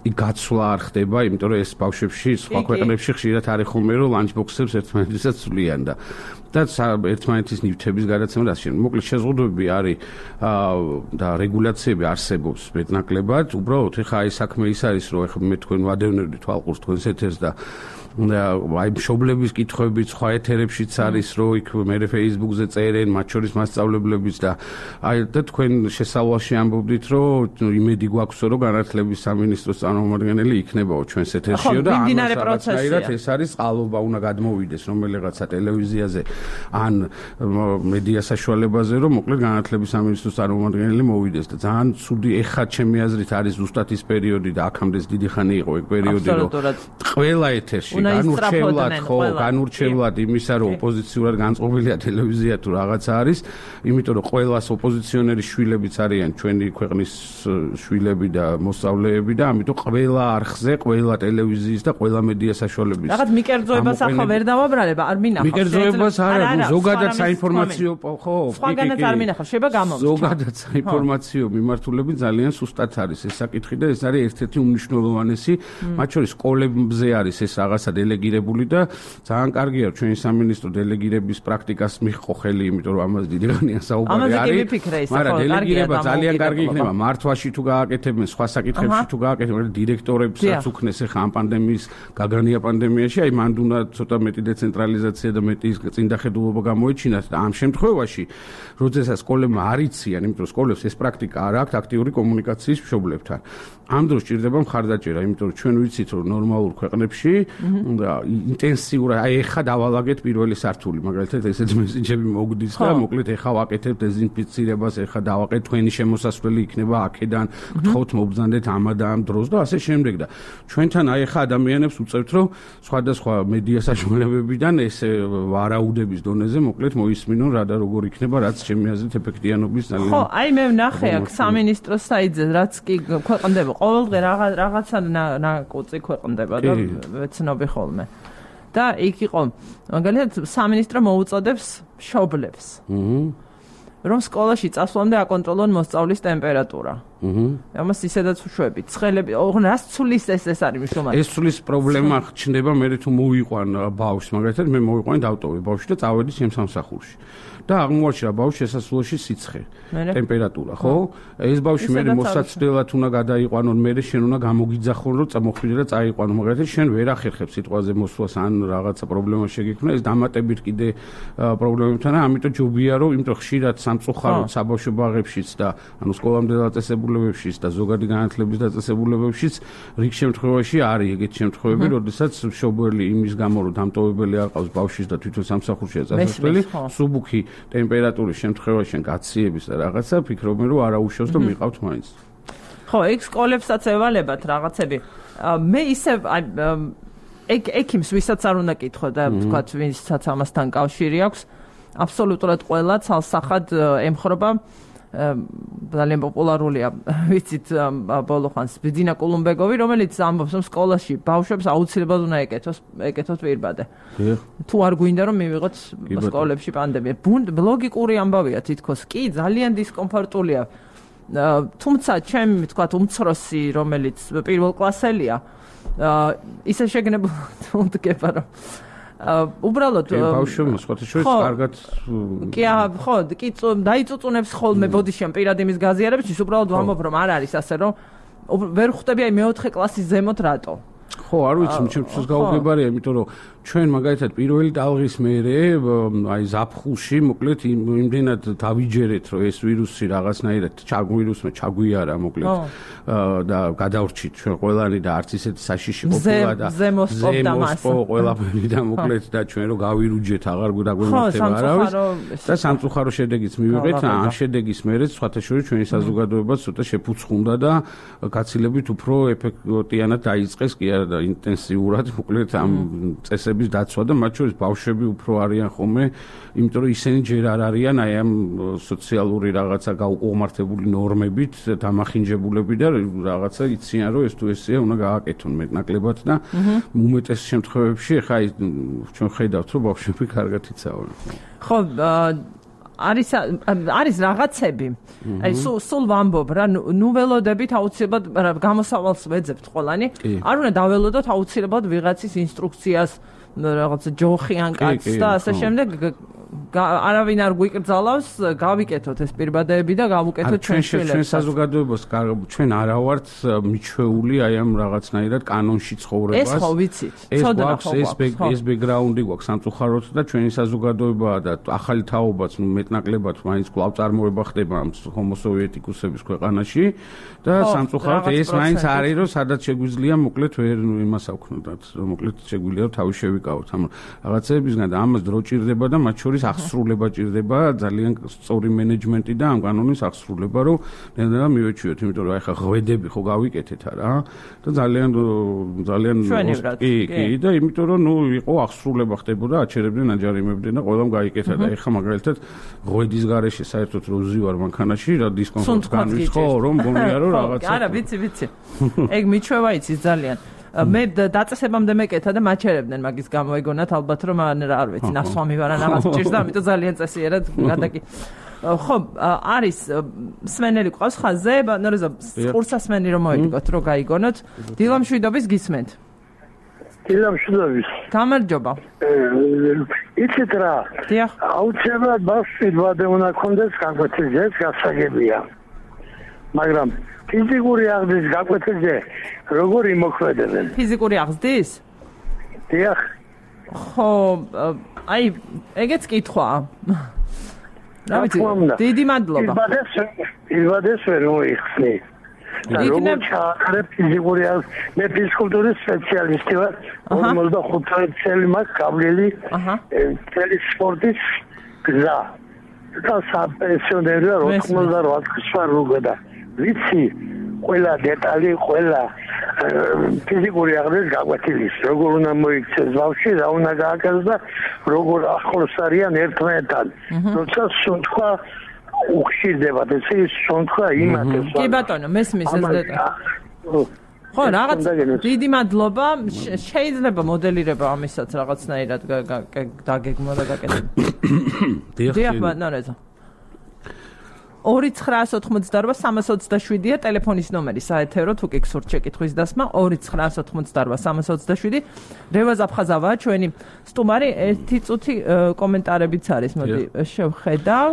გაცვლა არ ხდება, იმიტომ რომ ეს ბავშვებში სხვა ქვეყნებში ხშირად არის ხოლმე, რომ ლანჩბოქსებს ერთმანეთისაც ცვლიან და და ერთმანეთის ნივთების გადაცემა და ასე შემდეგ. მოკლედ შეზღუდვები არის და რეგულაციები არსებობს მეტნაკლებად. უბრალოდ ეხა აი საქმე ის არის, რომ ეხა მე თქვენ ვადევნებდი თვალყურს თქვენს ეთერს და აი მშობლების კითხვები სხვა ეთერებშიც არის, რომ იქ მე Facebook-ზე წერენ, მათ შორის მასწავლებლებიც და აი და თქვენ შესავალში ამბობდით, რომ იმედი გვაქვს, რომ განათლების სამინისტროს წარმომადგენელი იქნებაო ჩვენს ეთერშიო და ამასაკაცნაირად ეს არის წყალობა უნდა გადმოვიდეს რომელიღაცა ტელევიზიაზე ან მედია საშუალებაზე, რომ მოკლედ განათლების სამინისტროს წარმომადგენელი მოვიდეს და ძალიან ცუდი ეხა ჩემი აზრით არის ზუსტად ის პერიოდი და აქამდეც დიდი ხანი იყო ეგ პერიოდი, რომ ყველა ეთერში განურჩევლად ხო, განურჩევლად იმისა, რომ ოპოზიციურად განწყობილია ტელევიზია თუ რაღაცა არის, იმიტომ რომ ყველას ოპოზიციონერი შვილებიც არიან ჩვენი ქვეყნის შვილები და მოსწავლეები და ამიტომ ყველა არხზე, ყველა ტელევიზიის და ყველა მედია საშუალების რაღაც მიკერძოებას ახლა ვერ დავაბრალებ, არ მინახავს. მიკერძოებას არა, ზოგადად საინფორმაციო ხო, სხვაგანაც არ მინახავს, შეიძლება გამომწვა. ზოგადად საინფორმაციო მიმართულები ძალიან სუსტად არის ეს საკითხი და ეს არის ერთ-ერთი უმნიშვნელოვანესი, მათ შორის სკოლებზე არის ეს რაღაცა დელეგირებული და ძალიან კარგია ჩვენი სამინისტრო დელეგირების პრაქტიკას მიჰყო ხელი, იმიტომ რომ ამას დიდი ხანია საუბარი არის. მაგრამ დელეგირება ძალიან კარგი იქნება მართვაში თუ გააკეთებენ, სხვა საკითხებში თუ გააკეთებენ, დირექტორებსაც უქნეს ახლა ამ პანდემიის გაგანია პანდემიაში, აი მანდ უნდა ცოტა მეტი დეცენტრალიზაცია და მეტი წინდახედულობა გამოიჩინათ და ამ შემთხვევაში, როდესაც სკოლებმა არ იციან, იმიტომ რომ სკოლებს ეს პრაქტიკა არ აქვს აქტიური კომუნიკაციის მშობლებთან. ამ დროს ჭირდება მხარდაჭერა, იმიტომ რომ ჩვენ ვიცით რომ ნორმალურ ქვეყნებში ინტენსიურად აი ეხა დავალაგეთ პირველი სართული, მაგალითად ესეთი მესიჯები მოგდის და მოკლედ ეხა ვაკეთებთ დეზინფიცირებას, ეხა დავაყეთ თქვენი შემოსასვლელი იქნება აქედან, გთხოვთ მობრძანდეთ ამა და ამ დროს და ასე შემდეგ და ჩვენთან აი ეხა ადამიანებს უწევთ რომ სხვადასხვა მედია საშუალებებიდან ეს ვარაუდების დონეზე მოკლედ მოისმინონ რა და როგორ იქნება, რაც ჩემი აზრით ეფექტიანობის ძალიან ხო, აი მე ვნახე აქ სამინისტროს საიტზე რაც კი ქვეყნდება ყოველდღე რაღაცა ნაკუწი ქვეყნდება და ვეცნობი ხოლმე. და იქ იყო მაგალითად სამინისტრო მოუწოდებს მშობლებს. რომ სკოლაში წასვლამდე აკონტროლონ მოსწავლის ტემპერატურა. ამას ისედაც უშვებით. ცხელები, რას ცulis ეს ეს არის მნიშვნელოვანი. ეს ცulis პრობლემა ჩნდება მე თუ მოვიყვან ბავშვს, მაგალითად მე მოვიყვანი დავტოვე ბავშვი და წავედი ჩემს სამსახურში. და აღმოაჩინა ბავშვს შესასვლელში სიცხე, ტემპერატურა, ხო? ეს ბავშვი მე მოსაცდელად უნდა გადაიყვანონ, მე შენ უნდა გამოგიძახონ, რომ წამოხვიდე და წაიყვანო. მაგალითად შენ ვერ ახერხებ სიტყვაზე მოსვლას ან რაღაცა პრობლემა შეგექმნა, ეს დამატებით კიდე პრობლემებთან, ამიტომ ჯობია რომ, იმიტომ ხშირად სამწუხაროდ საბავშვო ბაღებშიც და ანუ სკოლამდე დაწესებულებებშიც და ზოგადი განათლების დაწესებულებებშიც რიგ შემთხვევაში არის ეგეთი შემთხვევები, როდესაც მშობელი იმის გამო რომ დამტოვებელი არ ყავს ბავშვის და თვითონ სამსახურშია წასასვლელი, სუბუქი ტემპერატურის შემთხვევაში გაციების და რაღაცა ფიქრობენ რომ არაუშავს და მიყავთ მაინც. ხო, ეგ სკოლებსაც ევალებათ რაღაცები. მე ისე ეგ ექიმს ვისაც არ უნდა კითხო და ვთქვათ ვისაც ამასთან კავშირი აქვს, აბსოლუტურად ყველა ცალსახად ემხრობა ძალიან პოპულარულია, ვიცით ბოლო ხანს ბიძინა კულუმბეგოვი, რომელიც ამბობს რომ სკოლაში ბავშვებს აუცილებლად უნდა ეკეთოს, ეკეთოთ პირბადე. თუ არ გვინდა რომ მივიღოთ სკოლებში პანდემია. ლოგიკური ამბავია თითქოს კი, ძალიან დისკომფორტულია. თუმცა ჩემი ვთქვათ უმცროსი, რომელიც პირველ კლასელია, ისე შეგნებულად ვდგება რომ უბრალოდ ბავშვებს სხვათა შორის კარგად კი ხო კი დაიწუწუნებს ხოლმე ბოდიშიან პირად იმის გაზიარებისთვის, უბრალოდ ვამბობ რომ არ არის ასე რომ ვერ ხვდები აი მეოთხე კლასის ზემოთ რატო. ხო, არ ვიცი, ჩემთვის გაუგებარია, იმიტომ რომ ჩვენ მაგალითად პირველი ტალღის მერე აი ზაფხულში მოკლედ იმდენად დავიჯერეთ რომ ეს ვირუსი რაღაცნაირად ჩაგვირუსმა ჩაგვიარა მოკლედ და გადავრჩით ჩვენ ყველანი და არც ისეთი საშიში ყოფილა და ზემოსპობდა მას ყველაფერი და მოკლედ და ჩვენ რომ გავირუჯეთ აღარ გვდაგვემართება არავის და სამწუხარო შედეგიც მივიღეთ. ამ შედეგის მერე სხვათა შორის ჩვენი საზოგადოებაც ცოტა შეფუცხუნდა და გაცილებით უფრო ეფექტიანად დაიწყეს კი არა და ინტენსიურად მოკლედ ამ წესების დაცვა და მათ შორის ბავშვები უფრო არიან ხოლმე, იმიტომ რომ ისინი ჯერ არ არიან აი ამ სოციალური რაღაცა გაუყომართებული ნორმებით დამახინჯებულები და რაღაცა იციან რომ ეს თუ ესეა უნდა გააკეთონ მეტნაკლებად და უმეტეს შემთხვევებში ხა ჩვენ ხედავთ რომ ბავშვები კარგად იცავენ. ხო, არის არის რაღაცები. აი სულ სულ ვამბობ რა, ნუ ველოდებით აუცილებლად გამოსავალს ვეძებთ ყველანი. არ უნდა დაველოდოთ აუცილებლად ვიღაცის ინსტრუქციას რაღაცა ჯოხი ან კაცს და ასე შემდეგ არავინ არ გვიკრძალავს, გავიკეთოთ ეს პირბადეები და გავუკეთოთ ჩვენ შვილებს. ჩვენ საზოგადოებას ჩვენ არა ვართ მიჩვეული აი ამ რაღაცნაირად კანონში ცხოვრებას. ეს ხო ვიცით. ცოდნა ხო გვაქვს. ეს ბექგრაუნდი გვაქვს სამწუხაროდ და ჩვენი საზოგადოება და ახალი თაობაც მეტნაკლებად მაინც კვლავ წარმოება ხდება ამ ჰომოსოვიეტიკუსების ქვეყანაში და სამწუხაროდ ეს მაინც არის რომ სადაც შეგვიძლია მოკლედ ვერ იმას ავქნოდათ. მოკლედ შეგვიძლია რომ თავი შევიკავოთ ამ რაღაცებისგან და ამას დრო ჭირდება და მათ შორის აღსრულება ჭირდება, ძალიან სწორი მენეჯმენტი და ამ კანონის აღსრულება, რომ ნელ-ნელა მივეჩვიოთ, იმიტომ რომ აი ხა ღვედები ხო გავიკეთეთ რა და ძალიან ძალიან კი კი და იმიტომ რომ ნუ იყო აღსრულება ხდებოდა, აჩერებდნენ, აჯარიმებდნენ და ყველამ გაიკეთა და ეხა მაგალითად ღვედის გარეშე საერთოდ რო ვზივარ მანქანაში რა დისკომფორტს განვიხ ხო რომ გონია რომ რაღაცა არა ვიცი ვიცი ეგ მიჩვევა იცი ძალიან მე დაწესებამდე მეკეთა და მაჩერებდნენ მაგის გამო ეგონათ ალბათ რომ არ ვიცი ნასვამი ვარ ან რაღაც ჭირს და ამიტომ ძალიან წესიერად გადაკი ხო არის სმენელი ყავს ხაზზე ნორეზო ყურსასმენი რომ მოიგოთ რომ გაიგონოთ დილამშვიდობის გისმენთ დილამშვიდობის. გამარჯობა. იცით რა? დიახ. აუცილებლად ბავშვი უნდა ქონდეს გაკვეთილზე, ეს გასაგებია. მაგრამ ფიზიკური აღზრდის გაკვეთილზე როგორ იმოქმედებენ? ფიზიკური აღზრდის? დიახ. ხო, აი, ეგეც კითხვა. რა ვიცი, დიდი მადლობა. იბადეს, იბადეს ვერ მოიხსნი. როგორ ჩააქრებ ფიზიკური აღზრდის, მე ფიზკულტურის სპეციალისტი ვარ. ორმოცდახუთი წელი მაქვს გავლილი წელი სპორტის გზა. და საპენსიონერია ოცდაოთხ წელს ვარ როგდა. ვიცი ყველა დეტალი, ყველა ფიზიკური აღზრდის გაკვეთილის, როგორ უნდა მოიქცეს ბავშვი, რა უნდა გააკეთოს და როგორ ახლოს არიან ერთმანეთთან. როცა სუნთქვა უხშირდებათ, ესე ის სუნთქვა იმათებს. კი ბატონო, მესმის ეს დეტალი. ხო, რაღაც დიდი მადლობა. შეიძლება მოდელირება ამისაც რაღაცნაირად დაგეგმვა და გაკეთება. დიახ, ბატონო. ორი ცხრაას ოცდაოთხმოცდაორბა სამას ოცდაშვიდია ტელეფონის ნომერი საეთერო თუ კი გსურთ შეკითხვის დასმა ორი ცხრაას ოცდაოთხმოცდაორბა სამას ოცდაშვიდი რევაზ აფხაზავაა ჩვენი სტუმარი ერთი წუთი კომენტარებიც არის მოდი შევხედავ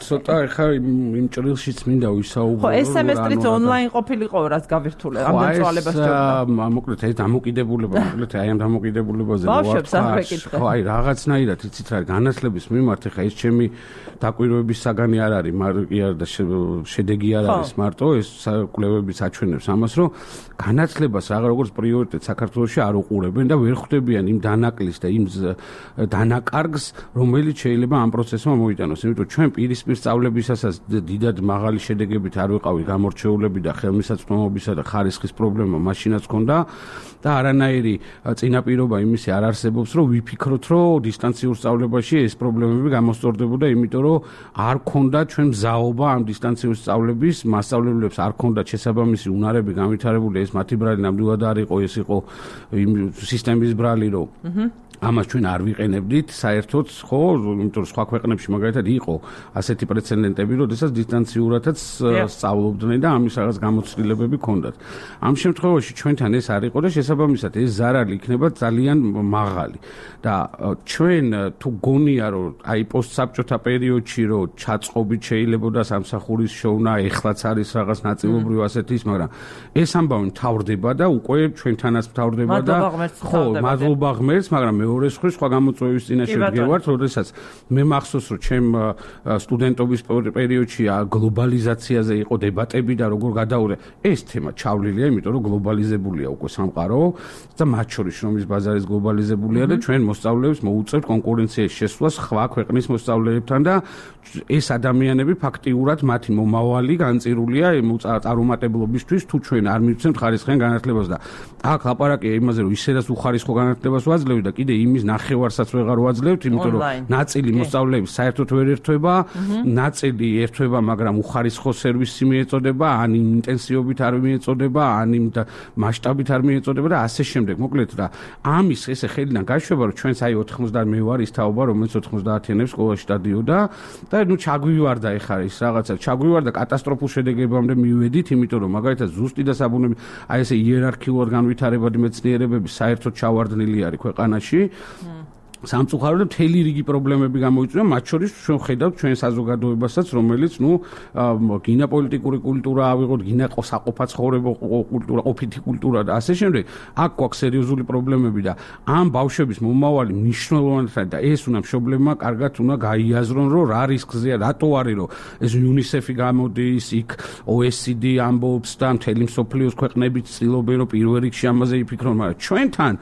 ცოტა ეხა იმ ჭრილშიც მინდა ვისაუბრო ხო ეს სემესტრიც ონლაინ ყოფილიყო რაც გავირთულე ამდენ წვალებას ჯობდა მოკლედ ეს დამოკიდებულება მოკლედ აი ამ დამოკიდებულებაზე ხო აი რაღაცნაირად იცით რა განათლების მიმართ ეხა ეს ჩემი დაკვირვების საგანი არ არის მაგრამ შედეგი არ არის მარტო ეს კვლევებიც აჩვენებს ამას რომ განათლებას რაღაც როგორც პრიორიტეტ საქართველოში არ უყურებენ და ვერ ხვდებიან იმ დანაკლის და იმ დანაკარგს რომელიც შეიძლება ამ პროცესმა მოიტანოს იმიტომ ჩვენ პირისპირ სწავლებისასაც დიდად მაღალი შედეგებით არ ვიყავით გამორჩეულები და ხელმისაწვდომობისა და ხარისხის პრობლემა მაშინაც ჰქონდა და არანაირი წინაპირობა იმისი არ არსებობს რომ ვიფიქროთ რომ დისტანციურ სწავლებაში ეს პრობლემები გამოსწორდებოდა იმიტომ რომ არ ქონდა ჩვენ მზაობა ამ დისტანციურ სწავლების მასწავლებლებს არ ქონდათ შესაბამისი უნარები განვითარებული ეს მათი ბრალი ნამდვილად არ იყო ეს იყო იმ სისტემის ბრალი რომ ამას ჩვენ არ ვიყენებდით საერთოდ ხო იმიტომ რომ სხვა ქვეყნებში მაგალითად იყო ასეთი პრეცედენტები როდესაც დისტანციურადაც სწავლობდნენ და ამის რაღაც გამოცდილებები ჰქონდათ ამ შემთხვევაში ჩვენთან ეს არ იყო და შესაბამისად ეს ზარალი იქნება ძალიან მაღალი და ჩვენ თუ გონია რომ აი პოსტსაბჭოთა პერიოდში რომ ჩაწყობით შეიძლებოდა სამსახურის შოვნა ეხლაც არის რაღაც ნაწილობრივ ასეთის მაგრამ ეს ამბავი მთავრდება და უკვე ჩვენთანაც მთავრდება და ხო მადლობა ღმერთს მაგრამ მეორე სხვა სხვა გამოწვევის წინაშე ვდგევართ როდესაც მე მახსოვს რომ ჩემ სტუდენტობის პერიოდში გლობალიზაციაზე იყო დებატები და როგორ გადაურე ეს თემა ჩავლილია იმიტომ რომ გლობალიზებულია უკვე სამყარო და მათ შორის რომის ბაზარის გლობალიზებულია და ჩვენ მოსწავლეებს მოუწევთ კონკურენციაში შესვლას სხვა ქვეყნის მოსწავლეებთან და ეს ადამიანები ფაქტიურად მათი მომავალი განწირულია წარუმატებლობისთვის თუ ჩვენ არ მივცემთ ხარისხიან განათლებას და აქ ლაპარაკია იმაზე რომ ისედაც უხარისხო განათლებას ვაძლევთ და კიდე იმის ნახევარსაც ვეღარ ვაძლევთ იმიტომ რომ ნაწილი მოსწავლეების საერთოდ ვერ ერთვება ნაწილი ერთვება მაგრამ უხარისხო სერვისი მიეწოდება ან ინტენსივობით არ მიეწოდება ან იმ მასშტაბით არ მიეწოდება და ასე შემდეგ მოკლედ რა ამის ესე ხელიდან გაშვება რომ ჩვენს აი ოთხმოცდაათ მე ვარ ის თაობა რომელიც ოთხმოცდაათიანებს სკოლაში დადიოდა და ნუ ჩაგვივარდა ეხლა ის რაღაცა ჩაგვივარდა კატასტროფულ შედეგებამდე მივედით იმიტომ რომ მაგალითად ზუსტი და საბუნები აი ესე იერარქიულად განვითარებადი მეცნიერებები საერთოდ ჩავარდნილი არის ქვეყანაში სამწუხაროდ მთელი რიგი პრობლემები გამოიწვია მათ შორის ჩვენ ხედავთ ჩვენ საზოგადოებასაც რომელიც ნუ გინა პოლიტიკური კულტურა ავიღოთ გინა საყოფა ცხოვრება კულტურა ყოფითი კულტურა და ასე შემდეგ აქ გვაქვს სერიოზული პრობლემები და ამ ბავშვების მომავალი მნიშვნელოვანად და ეს უნდა მშობლებმა კარგად უნდა გაიაზრონ რომ რა რისკზეა რატო არის რომ ეს იუნისეფი გამოდის იქ ო ეს სი დი ამბობს და მთელი მსოფლიოს ქვეყნები ცდილობენ რომ პირველ რიგში ამაზე იფიქრონ მაგრამ ჩვენთან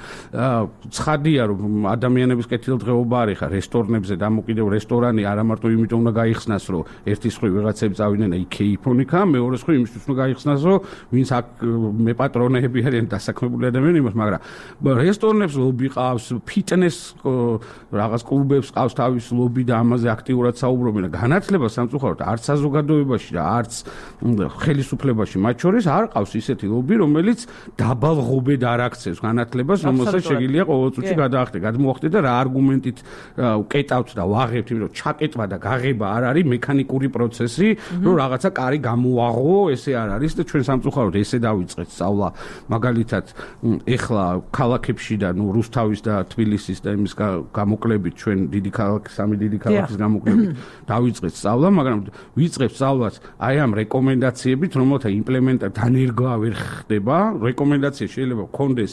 ცხადია რომ ადამიანების კეთილდღეობა არის ხა რესტორნებზე დამოკიდებ რესტორანი არა მარტო იმიტომ უნდა გაიხსნას რომ ერთი სხვი ვიღაცები წავიდნენ იქეი ფონიკა მეორე სხვი იმისთვის უნდა გაიხსნას რომ ვინც აქ მე პატრონები არიან დასაქმებული ადამიანები მაგრამ რესტორნებს ლობი ყავს ფიტნეს რაღაც კლუბებს ყავს თავის ლობი და ამაზე აქტიურად საუბრობენ და განათლება სამწუხაროდ არც საზოგადოებაში და არც ხელისუფლებაში მათ შორის არ ყავს ისეთი ლობი რომელიც დაბალ ღობედ არ აქცევს განათლებას რომელსაც შეგიძლია ყოველ წუთში გადაახდე გადმოახდე და რა არგუმენტით ვკეტავთ და ვაღებთ, იმიტომ რომ ჩაკეტვა და გაღება არ არის მექანიკური პროცესი, რომ რაღაცა კარი გამოაღო, ესე არ არის და ჩვენ სამწუხაროდ ესე დავიწყეთ სწავლა. მაგალითად, ეხლა ქალაქებში და ნუ რუსთავის და თბილისის და იმის გამოკლებით ჩვენ დიდი ქალაქი, სამი დიდი ქალაქის გამოკლებით დავიწყეთ სწავლა, მაგრამ ვიწყებთ სწავლას აი ამ რეკომენდაციებით, რომელთა იმპლემენტა დანერგვა ვერ ხდება. რეკომენდაცია შეიძლება გქონდეს,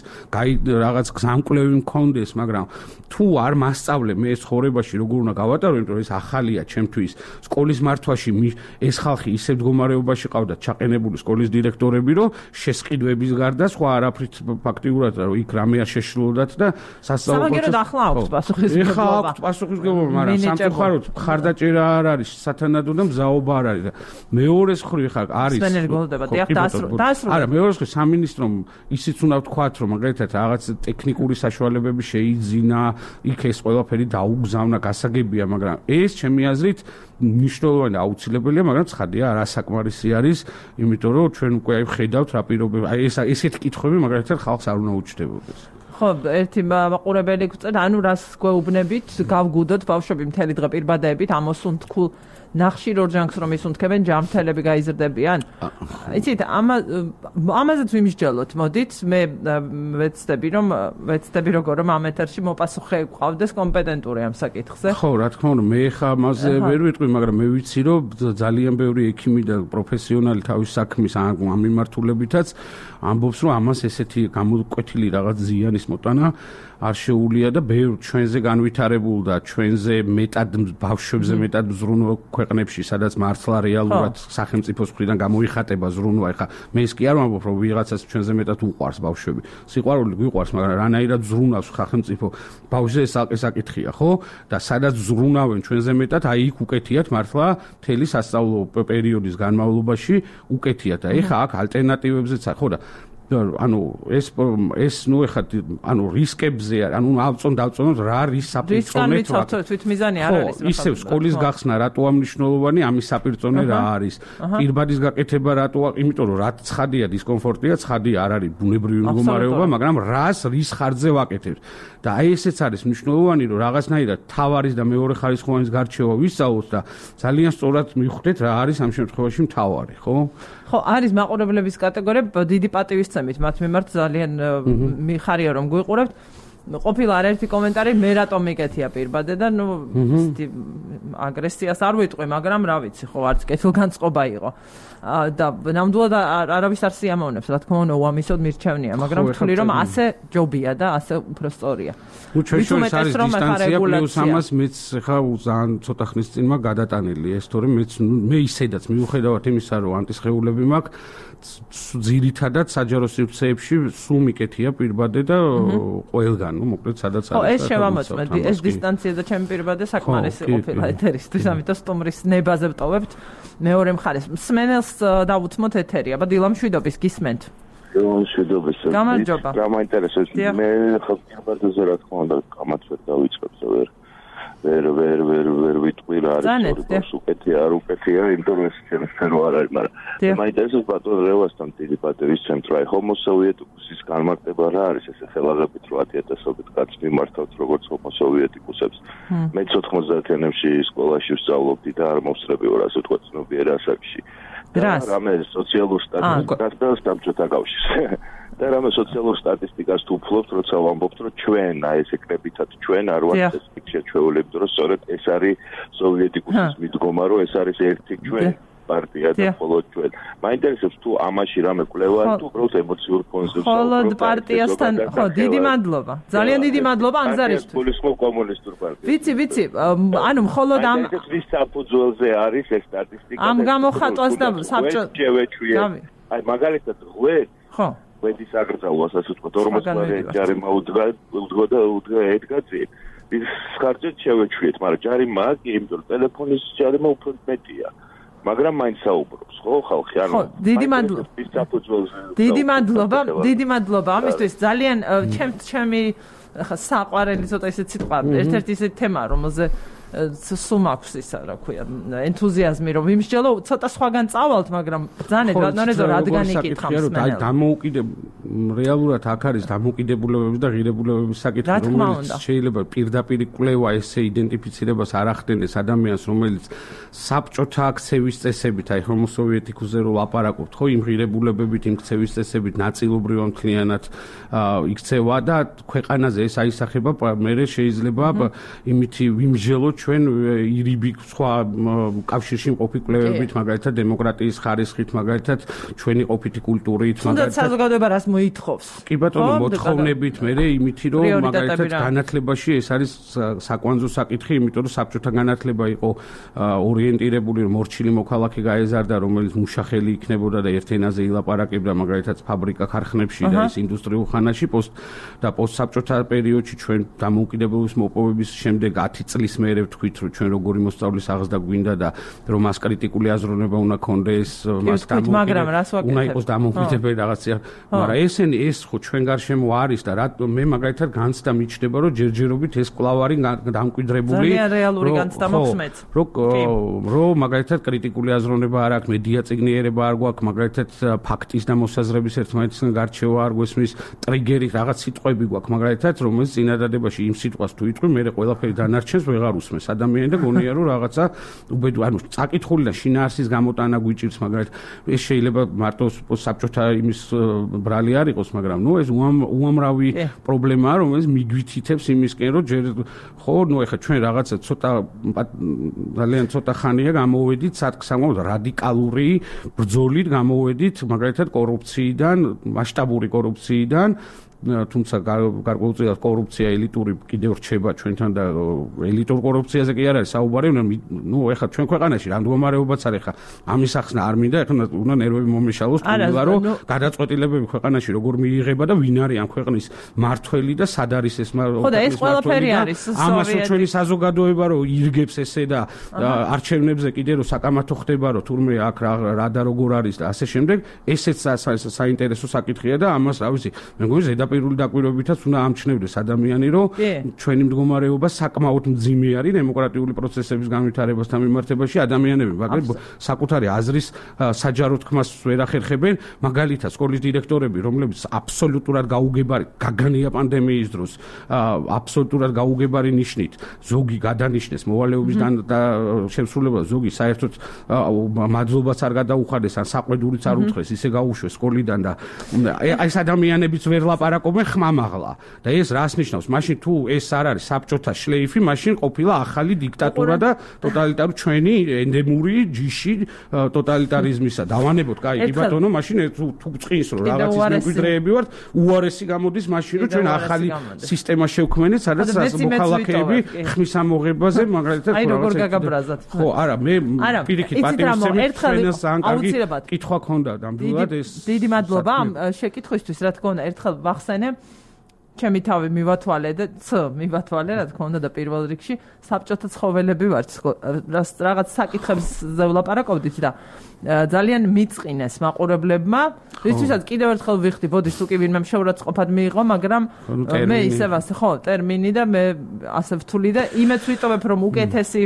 რაღაც გზამკვლევი მქონდეს, მაგრამ თუ არ მასწავლე მე ცხოვრებაში როგორ უნდა გავატარო, იმიტომ რომ ეს ახალია ჩემთვის. სკოლის მართვაში ეს ხალხი ისე მდგომარეობაში ყავდა ჩაყენებული სკოლის დირექტორები, რომ შესყიდვების გარდა სხვა არაფრით ფაქტიურად რომ იქ რამე არ შეშლოდათ და სასწავლო პროცესი. სამაგერო ახლა აქვს პასუხისმგებლობა. ეხლა აქვს პასუხისმგებლობა, მაგრამ სამწუხაროდ ხარდაჭერა არ არის, სათანადო და მზაობა არ არის და მეორეს მხრივ ხარ არის. სპენერგოლდება, დიახ, დაასრულა. არა, მეორეს მხრივ სამინისტრომ ისიც უნდა ვთქვათ, რომ მაგალითად რაღაც ტექნიკური საშუალებები შეიძინა, იქ ეს ყველაფერი დაუგზავნა, გასაგებია, მაგრამ ეს ჩემი აზრით მნიშვნელოვანი და აუცილებელია, მაგრამ ცხადია არასაკმარისი არის, იმიტომ რომ ჩვენ უკვე აი ვხედავთ რა პირობები, აი ეს ესეთი კითხვები მაგალითად ხალხს არ უნდა უჩნდებოდეს. ხო, ერთი მაყურებელი გვწევდა, ანუ რას გვეუბნებით, გავგუდოთ ბავშვები მთელი დღე პირბადებით, ამოსუნთქულ ნახშირ ორჯანქს რომ ისუნთქებენ, ჯამრთელები გაიზრდებიან. იცით, ამაზეც ვიმსჯელოთ, მოდით, მე ვეცდები რომ ვეცდები როგორ რომ ამ ეთერში მოპასუხე გვყავდეს კომპეტენტური ამ საკითხზე. ხო, რა თქმა უნდა, მე ხა ამაზე ვერ ვიტყვი, მაგრამ მე ვიცი რომ ძალიან ბევრი ექიმი და პროფესიონალი თავის საქმის ამ მიმართულებითაც ამბობს, რომ ამას ესეთი გამოკვეთილი რაღაც ზიანის მოტანა არ შეუულია და ბევრ ჩვენზე განვითარებულ და ჩვენზე მეტად ბავშვებზე მეტად ზრუნვა ქვეყნებში, სადაც მართლა რეალურად სახელმწიფოს მხრიდან გამოიხატება ზრუნვა. ეხლა მე ის კი არ ვამბობ, რომ ვიღაცას ჩვენზე მეტად უყვარს ბავშვები. სიყვარული გვიყვარს, მაგრამ რანაირად ზრუნავს სახელმწიფო ბავშვზე ეს საკითხია, ხო? და სადაც ზრუნავენ ჩვენზე მეტად, აი იქ უკეთიათ მართლა მთელი სასწავლო პერიოდის განმავლობაში უკეთიათ. და ეხლა აქ ალტერნატივებზეც ხო და ანუ ეს ეს ნუ ეხლა ანუ რისკებზე ანუ ავწონ დავწონოთ რა რის საპირწონე თვითმიზანი არ არის ისევ სკოლის გახსნა რატოა მნიშვნელოვანი ამის საპირწონე რა არის პირბადის გაკეთება რატოა იმიტომ რომ რაც ცხადია დისკომფორტია ცხადია არ არის ბუნებრივი მდგომარეობა მაგრამ რას რის ხარჯზე ვაკეთებთ და აი ესეც არის მნიშვნელოვანი რომ რაღაცნაირად თავარის და მეორე ხარისხოვანის გარჩევა ვისწავლოთ და ძალიან სწორად მივხვდეთ რა არის ამ შემთხვევაში მთავარი ხო ხო არის მაყურებლების კატეგორია დიდი პატივისცემით მათ მიმართ ძალიან მიხარია რომ გვიყურებთ ყოფილა არაერთი კომენტარი მე რატომ მიკეთია პირბადე და ნუ აგრესიას არ ვიტყვი მაგრამ რა ვიცი ხო არც კეთილგანწყობა იყო და ნამდვილად არავის არ სიამოვნებს რა თქმა უნდა უამისოდ მირჩევნია მაგრამ ვთვლი რომ ასე ჯობია და ასე უფრო სწორია ნუ ჩვენ შორის არის დისტანცია პლუს ამას მეც ხა ძალიან ცოტა ხნის წინ მაგ გადატანილი ეს თორემ მეც მე ისედაც მიუხედავად იმისა რომ ანტისხეულები მაქვს ძირითადად საჯარო სივრცეებში სულ მიკეთია პირბადე და ყველგან ნუ მოკლედ სადაც არის ხო ეს შევამოწმეთ ეს დისტანცია და ჩემი პირბადე საკმარისი ყოფილა ეთერისთვის ამიტომ სტუმრის ნებაზე ვტოვებთ მეორე მხარეს მსმენელს დავუთმოთ ეთერი აბა დილა მშვიდობის გისმენთ მშვიდობის გამარჯობა გამაინტერესებს მე ხო პირბადეზე რა თქმა უნდა კამათ ვერ დავიწყებ ზოგადად ვერ ვერ ვერ ვერ ვიტყვი რა არის უკეთია არ უკეთია იმიტომ რომ ეს ჩემს სფერო არ არის მაგრამ მაინტერესებს ბატონ რევასთან დიდი პატივისცემთ რა ჰომო სოვიეტიკუსის განმარტება რა არის ესე ხელაღებით რო ათი ათასობით კაცს მიმართავთ როგორც ჰომო სოვიეტიკუსებს მეც ოთხმოცდაათიანებში სკოლაში ვსწავლობდი და არ მოვსწრები ვარ ასე თქვა ცნობიერ ასაკში და რამე სოციალურ სტატისტიკას და საბჭოთა კავშირს და რამე სოციალურ სტატისტიკას თუ ვფლობთ, როცა ვამბობთ, რომ ჩვენ აი ეს ეკრებითად ჩვენ არ ვართ ეს შეჩვეულები, რომ სწორედ ეს არის სოვიეტიკუსის მიდგომა, რომ ეს არის ერთი ჩვენ პარტია და მხოლოდ ჩვენ. მაინტერესებს თუ ამაში რამე კვლევა თუ უბრალოდ ემოციურ ფონზე მხოლოდ პარტიასთან ხო, დიდი მადლობა. ძალიან დიდი მადლობა ანგზარისთვის. პოლიტიკურ კომუნისტურ პარტია. ვიცი, ვიცი, ანუ მხოლოდ ამ ეს საფუძველზე არის ეს სტატისტიკა. ამ გამოხატვას და საბჭო აი მაგალითად ღვე ხო ვედის აკრძალვას ასე ვთქვათ ორმოცდაათი ჯარიმა უდგა უდგა და უდგა ედგა წინ ის ხარჯეთ შევეჩვიეთ მაგრამ ჯარიმა კი იმიტომ ტელეფონის ჯარიმა უფრო მეტია მაგრამ მაინც საუბრობს ხო ხალხი ანუ ხო დიდი მადლობა დიდი მადლობა დიდი მადლობა ამისთვის ძალიან ჩემ ჩემი ხა საყვარელი ცოტა ისეთ სიტყვა ერთ-ერთი ისეთი თემა რომელზე სულ მაქვს ისა, რა ქვია, ენთუზიაზმი, რომ ვიმსჯელო, ცოტა სხვაგან წავალთ, მაგრამ ბრძანეთ, ბატონო, რადგან იკითხავს მე. დამოუკიდებ რეალურად აქ არის დამოუკიდებულებების და ღირებულებების საკითხი, რომელიც შეიძლება პირდაპირ კვლევა ესე იდენტიფიცირებას არ ახდენდეს ადამიანს, რომელიც საბჭოთა აქცევის წესებით, აი ჰომოსოვიეტიკუზე რო ლაპარაკობთ, ხო, იმ ღირებულებებით, იმ ქცევის წესებით ნაწილობრივ მთლიანად იქცევა და ქვეყანაზე ეს აისახება, მე შეიძლება იმითი ვიმსჯელოთ ჩვენ ირიბი სხვა კავშირში მყოფი კვლევებით, მაგალითად დემოკრატიის ხარისხით, მაგალითად ჩვენი ყოფითი კულტურით, მაგალითად საზოგადოება რას მოითხოვს. კი ბატონო, მოთხოვნებით მე იმითი რომ მაგალითად განათლებაში ეს არის საკვანძო საკითხი, იმიტომ რომ საბჭოთა განათლება იყო ორიენტირებული, რომ მორჩილი მოქალაქე გაეზარდა, რომელიც მუშახელი იქნებოდა და ერთ ენაზე ილაპარაკებდა, მაგალითად ფაბრიკა ქარხნებში და ის ინდუსტრიულ ხანაში პოსტ და პოსტსაბჭოთა პერიოდში ჩვენ დამოუკიდებლობის მოპოვების შემდეგ ათი წლის მერე ვთქვით, რომ ჩვენ როგორი მოსწავლის აღზრდა გვინდა და რომ მას კრიტიკული აზროვნება უნდა ქონდეს, მას უნდა იყოს დამოუკიდებელი რაღაცა, მაგრამ ესენი ეს ხო ჩვენ გარშემო არის და მე მაგალითად განცდა მიჩნდება, რომ ჯერჯერობით ეს კვლავ არის დამკვიდრებული. ძალიან რეალური განცდა მოხსმეთ. რომ მაგალითად კრიტიკული აზროვნება არ აქვს, მედია წიგნიერება არ გვაქვს, მაგალითად ფაქტის და მოსაზრების ერთმანეთისგან გარჩევა არ გვესმის, ტრიგერი რაღაც სიტყვები გვაქვს, მაგალითად რომელიც წინადადებაში იმ სიტყვას თუ იტყვი, მე ყველაფერი დანარჩენს ვეღარ უსმენს ადამიანი და გონია რომ რაღაცა უბედური, ანუ წაკითხული და შინაარსის გამოტანა გვიჭირს, მაგალითად ეს შეიძლება მარტო საბჭოთა იმის ბრალი არ იყოს, მაგრამ ნუ ეს უამრავი პრობლემაა, რომელიც მიგვითითებს იმისკენ, რომ ჯერ ხო, ნუ ეხლა ჩვენ რაღაცა ცოტა ძალიან ცოტა ხანია გამოვედით სათქმელოდ რადიკალური ბრძოლით გამოვედით, მაგალითად კორუფციიდან, მასშტაბური კორუფციიდან, თუმცა გარკვეულწილად კორუფცია ელიტური კიდევ რჩება ჩვენთან და ელიტურ კორუფციაზე კი არ არის საუბარი, ნუ ეხლა ჩვენ ქვეყანაში რა მდგომარეობაც არის, ეხლა ამის ახსნა არ მინდა, ეხლა უნდა ნერვები მომეშალოს, თუმცა რომ გადაწყვეტილებები ქვეყანაში როგორ მიიღება და ვინ არის ამ ქვეყნის მართველი და სად არის ეს მართველი. ხო და ეს ყველაფერი არის ამას ჩვენი საზოგადოება რომ ირგებს ესე და არჩევნებზე კიდე რომ საკამათო ხდება, რომ თურმე აქ რა და როგორ არის და ასე შემდეგ, ესეც საინტერესო საკითხია და ამას რა ვიცი, მე მგონი პირული დაკვირვებითაც უნდა ამჩნევდეს ადამიანი, რომ ჩვენი მდგომარეობა საკმაოდ მძიმე არის დემოკრატიული პროცესების განვითარებასთან მიმართებაში, ადამიანები მაგალითად საკუთარი აზრის საჯარო თქმას ვერ ახერხებენ, მაგალითად სკოლის დირექტორები, რომლებიც აბსოლუტურად გაუგებარი გაგანია პანდემიის დროს, აბსოლუტურად გაუგებარი ნიშნით, ზოგი გადანიშნეს მოვალეობის და შემსრულებლად, ზოგი საერთოდ მადლობას არ გადაუხადეს, ან საყვედურიც არ უთხრეს, ისე გაუშვეს სკოლიდან და ეს ადამიანებიც ვერ ლაპარაკობენ ხმამაღლა და ეს რას ნიშნავს? მაშინ თუ ეს არ არის საბჭოთა შლეიფი, მაშინ ყოფილა ახალი დიქტატურა და ტოტალიტარული ჩვენი ენდემური ჯიში ტოტალიტარიზმისა. დავანებოთ, კაი, კი ბატონო, მაშინ თუ წყინს რომ რაღაცის მემკვიდრეები ვართ, უარესი გამოდის მაშინ რომ ჩვენ ახალი სისტემა შევქმნით, სადაც მოქალაქეები ხმის ამოღებაზე მაგალითად აი როგორ გაგაბრაზათ. ხო, არა, მე პირიქით პატივისცემით ჩვენს ძალიან კარგი კითხვა ქონდა ნამდვილად ეს. დიდი მადლობა ამ შეკითხვისთვის, რა თქმა უნდა, ერთხელ ვახსენე, ჩემი თავი მივათვალე და ც მივათვალე, რა თქმა უნდა და პირველ რიგში საბჭოთა ცხოველები ვართ, რაღაც საკითხებზე ვლაპარაკობდით და ძალიან მიწყინეს მაყურებლებმა, რისთვისაც კიდევ ერთხელ ვიხდი, ბოდიშ თუ კი ვინმე შეურაცხყოფად მიიღო, მაგრამ მე ისევ ასე, ხო, ტერმინი და მე ასე ვთვლი და იმეც ვიტოვებ, რომ უკეთესი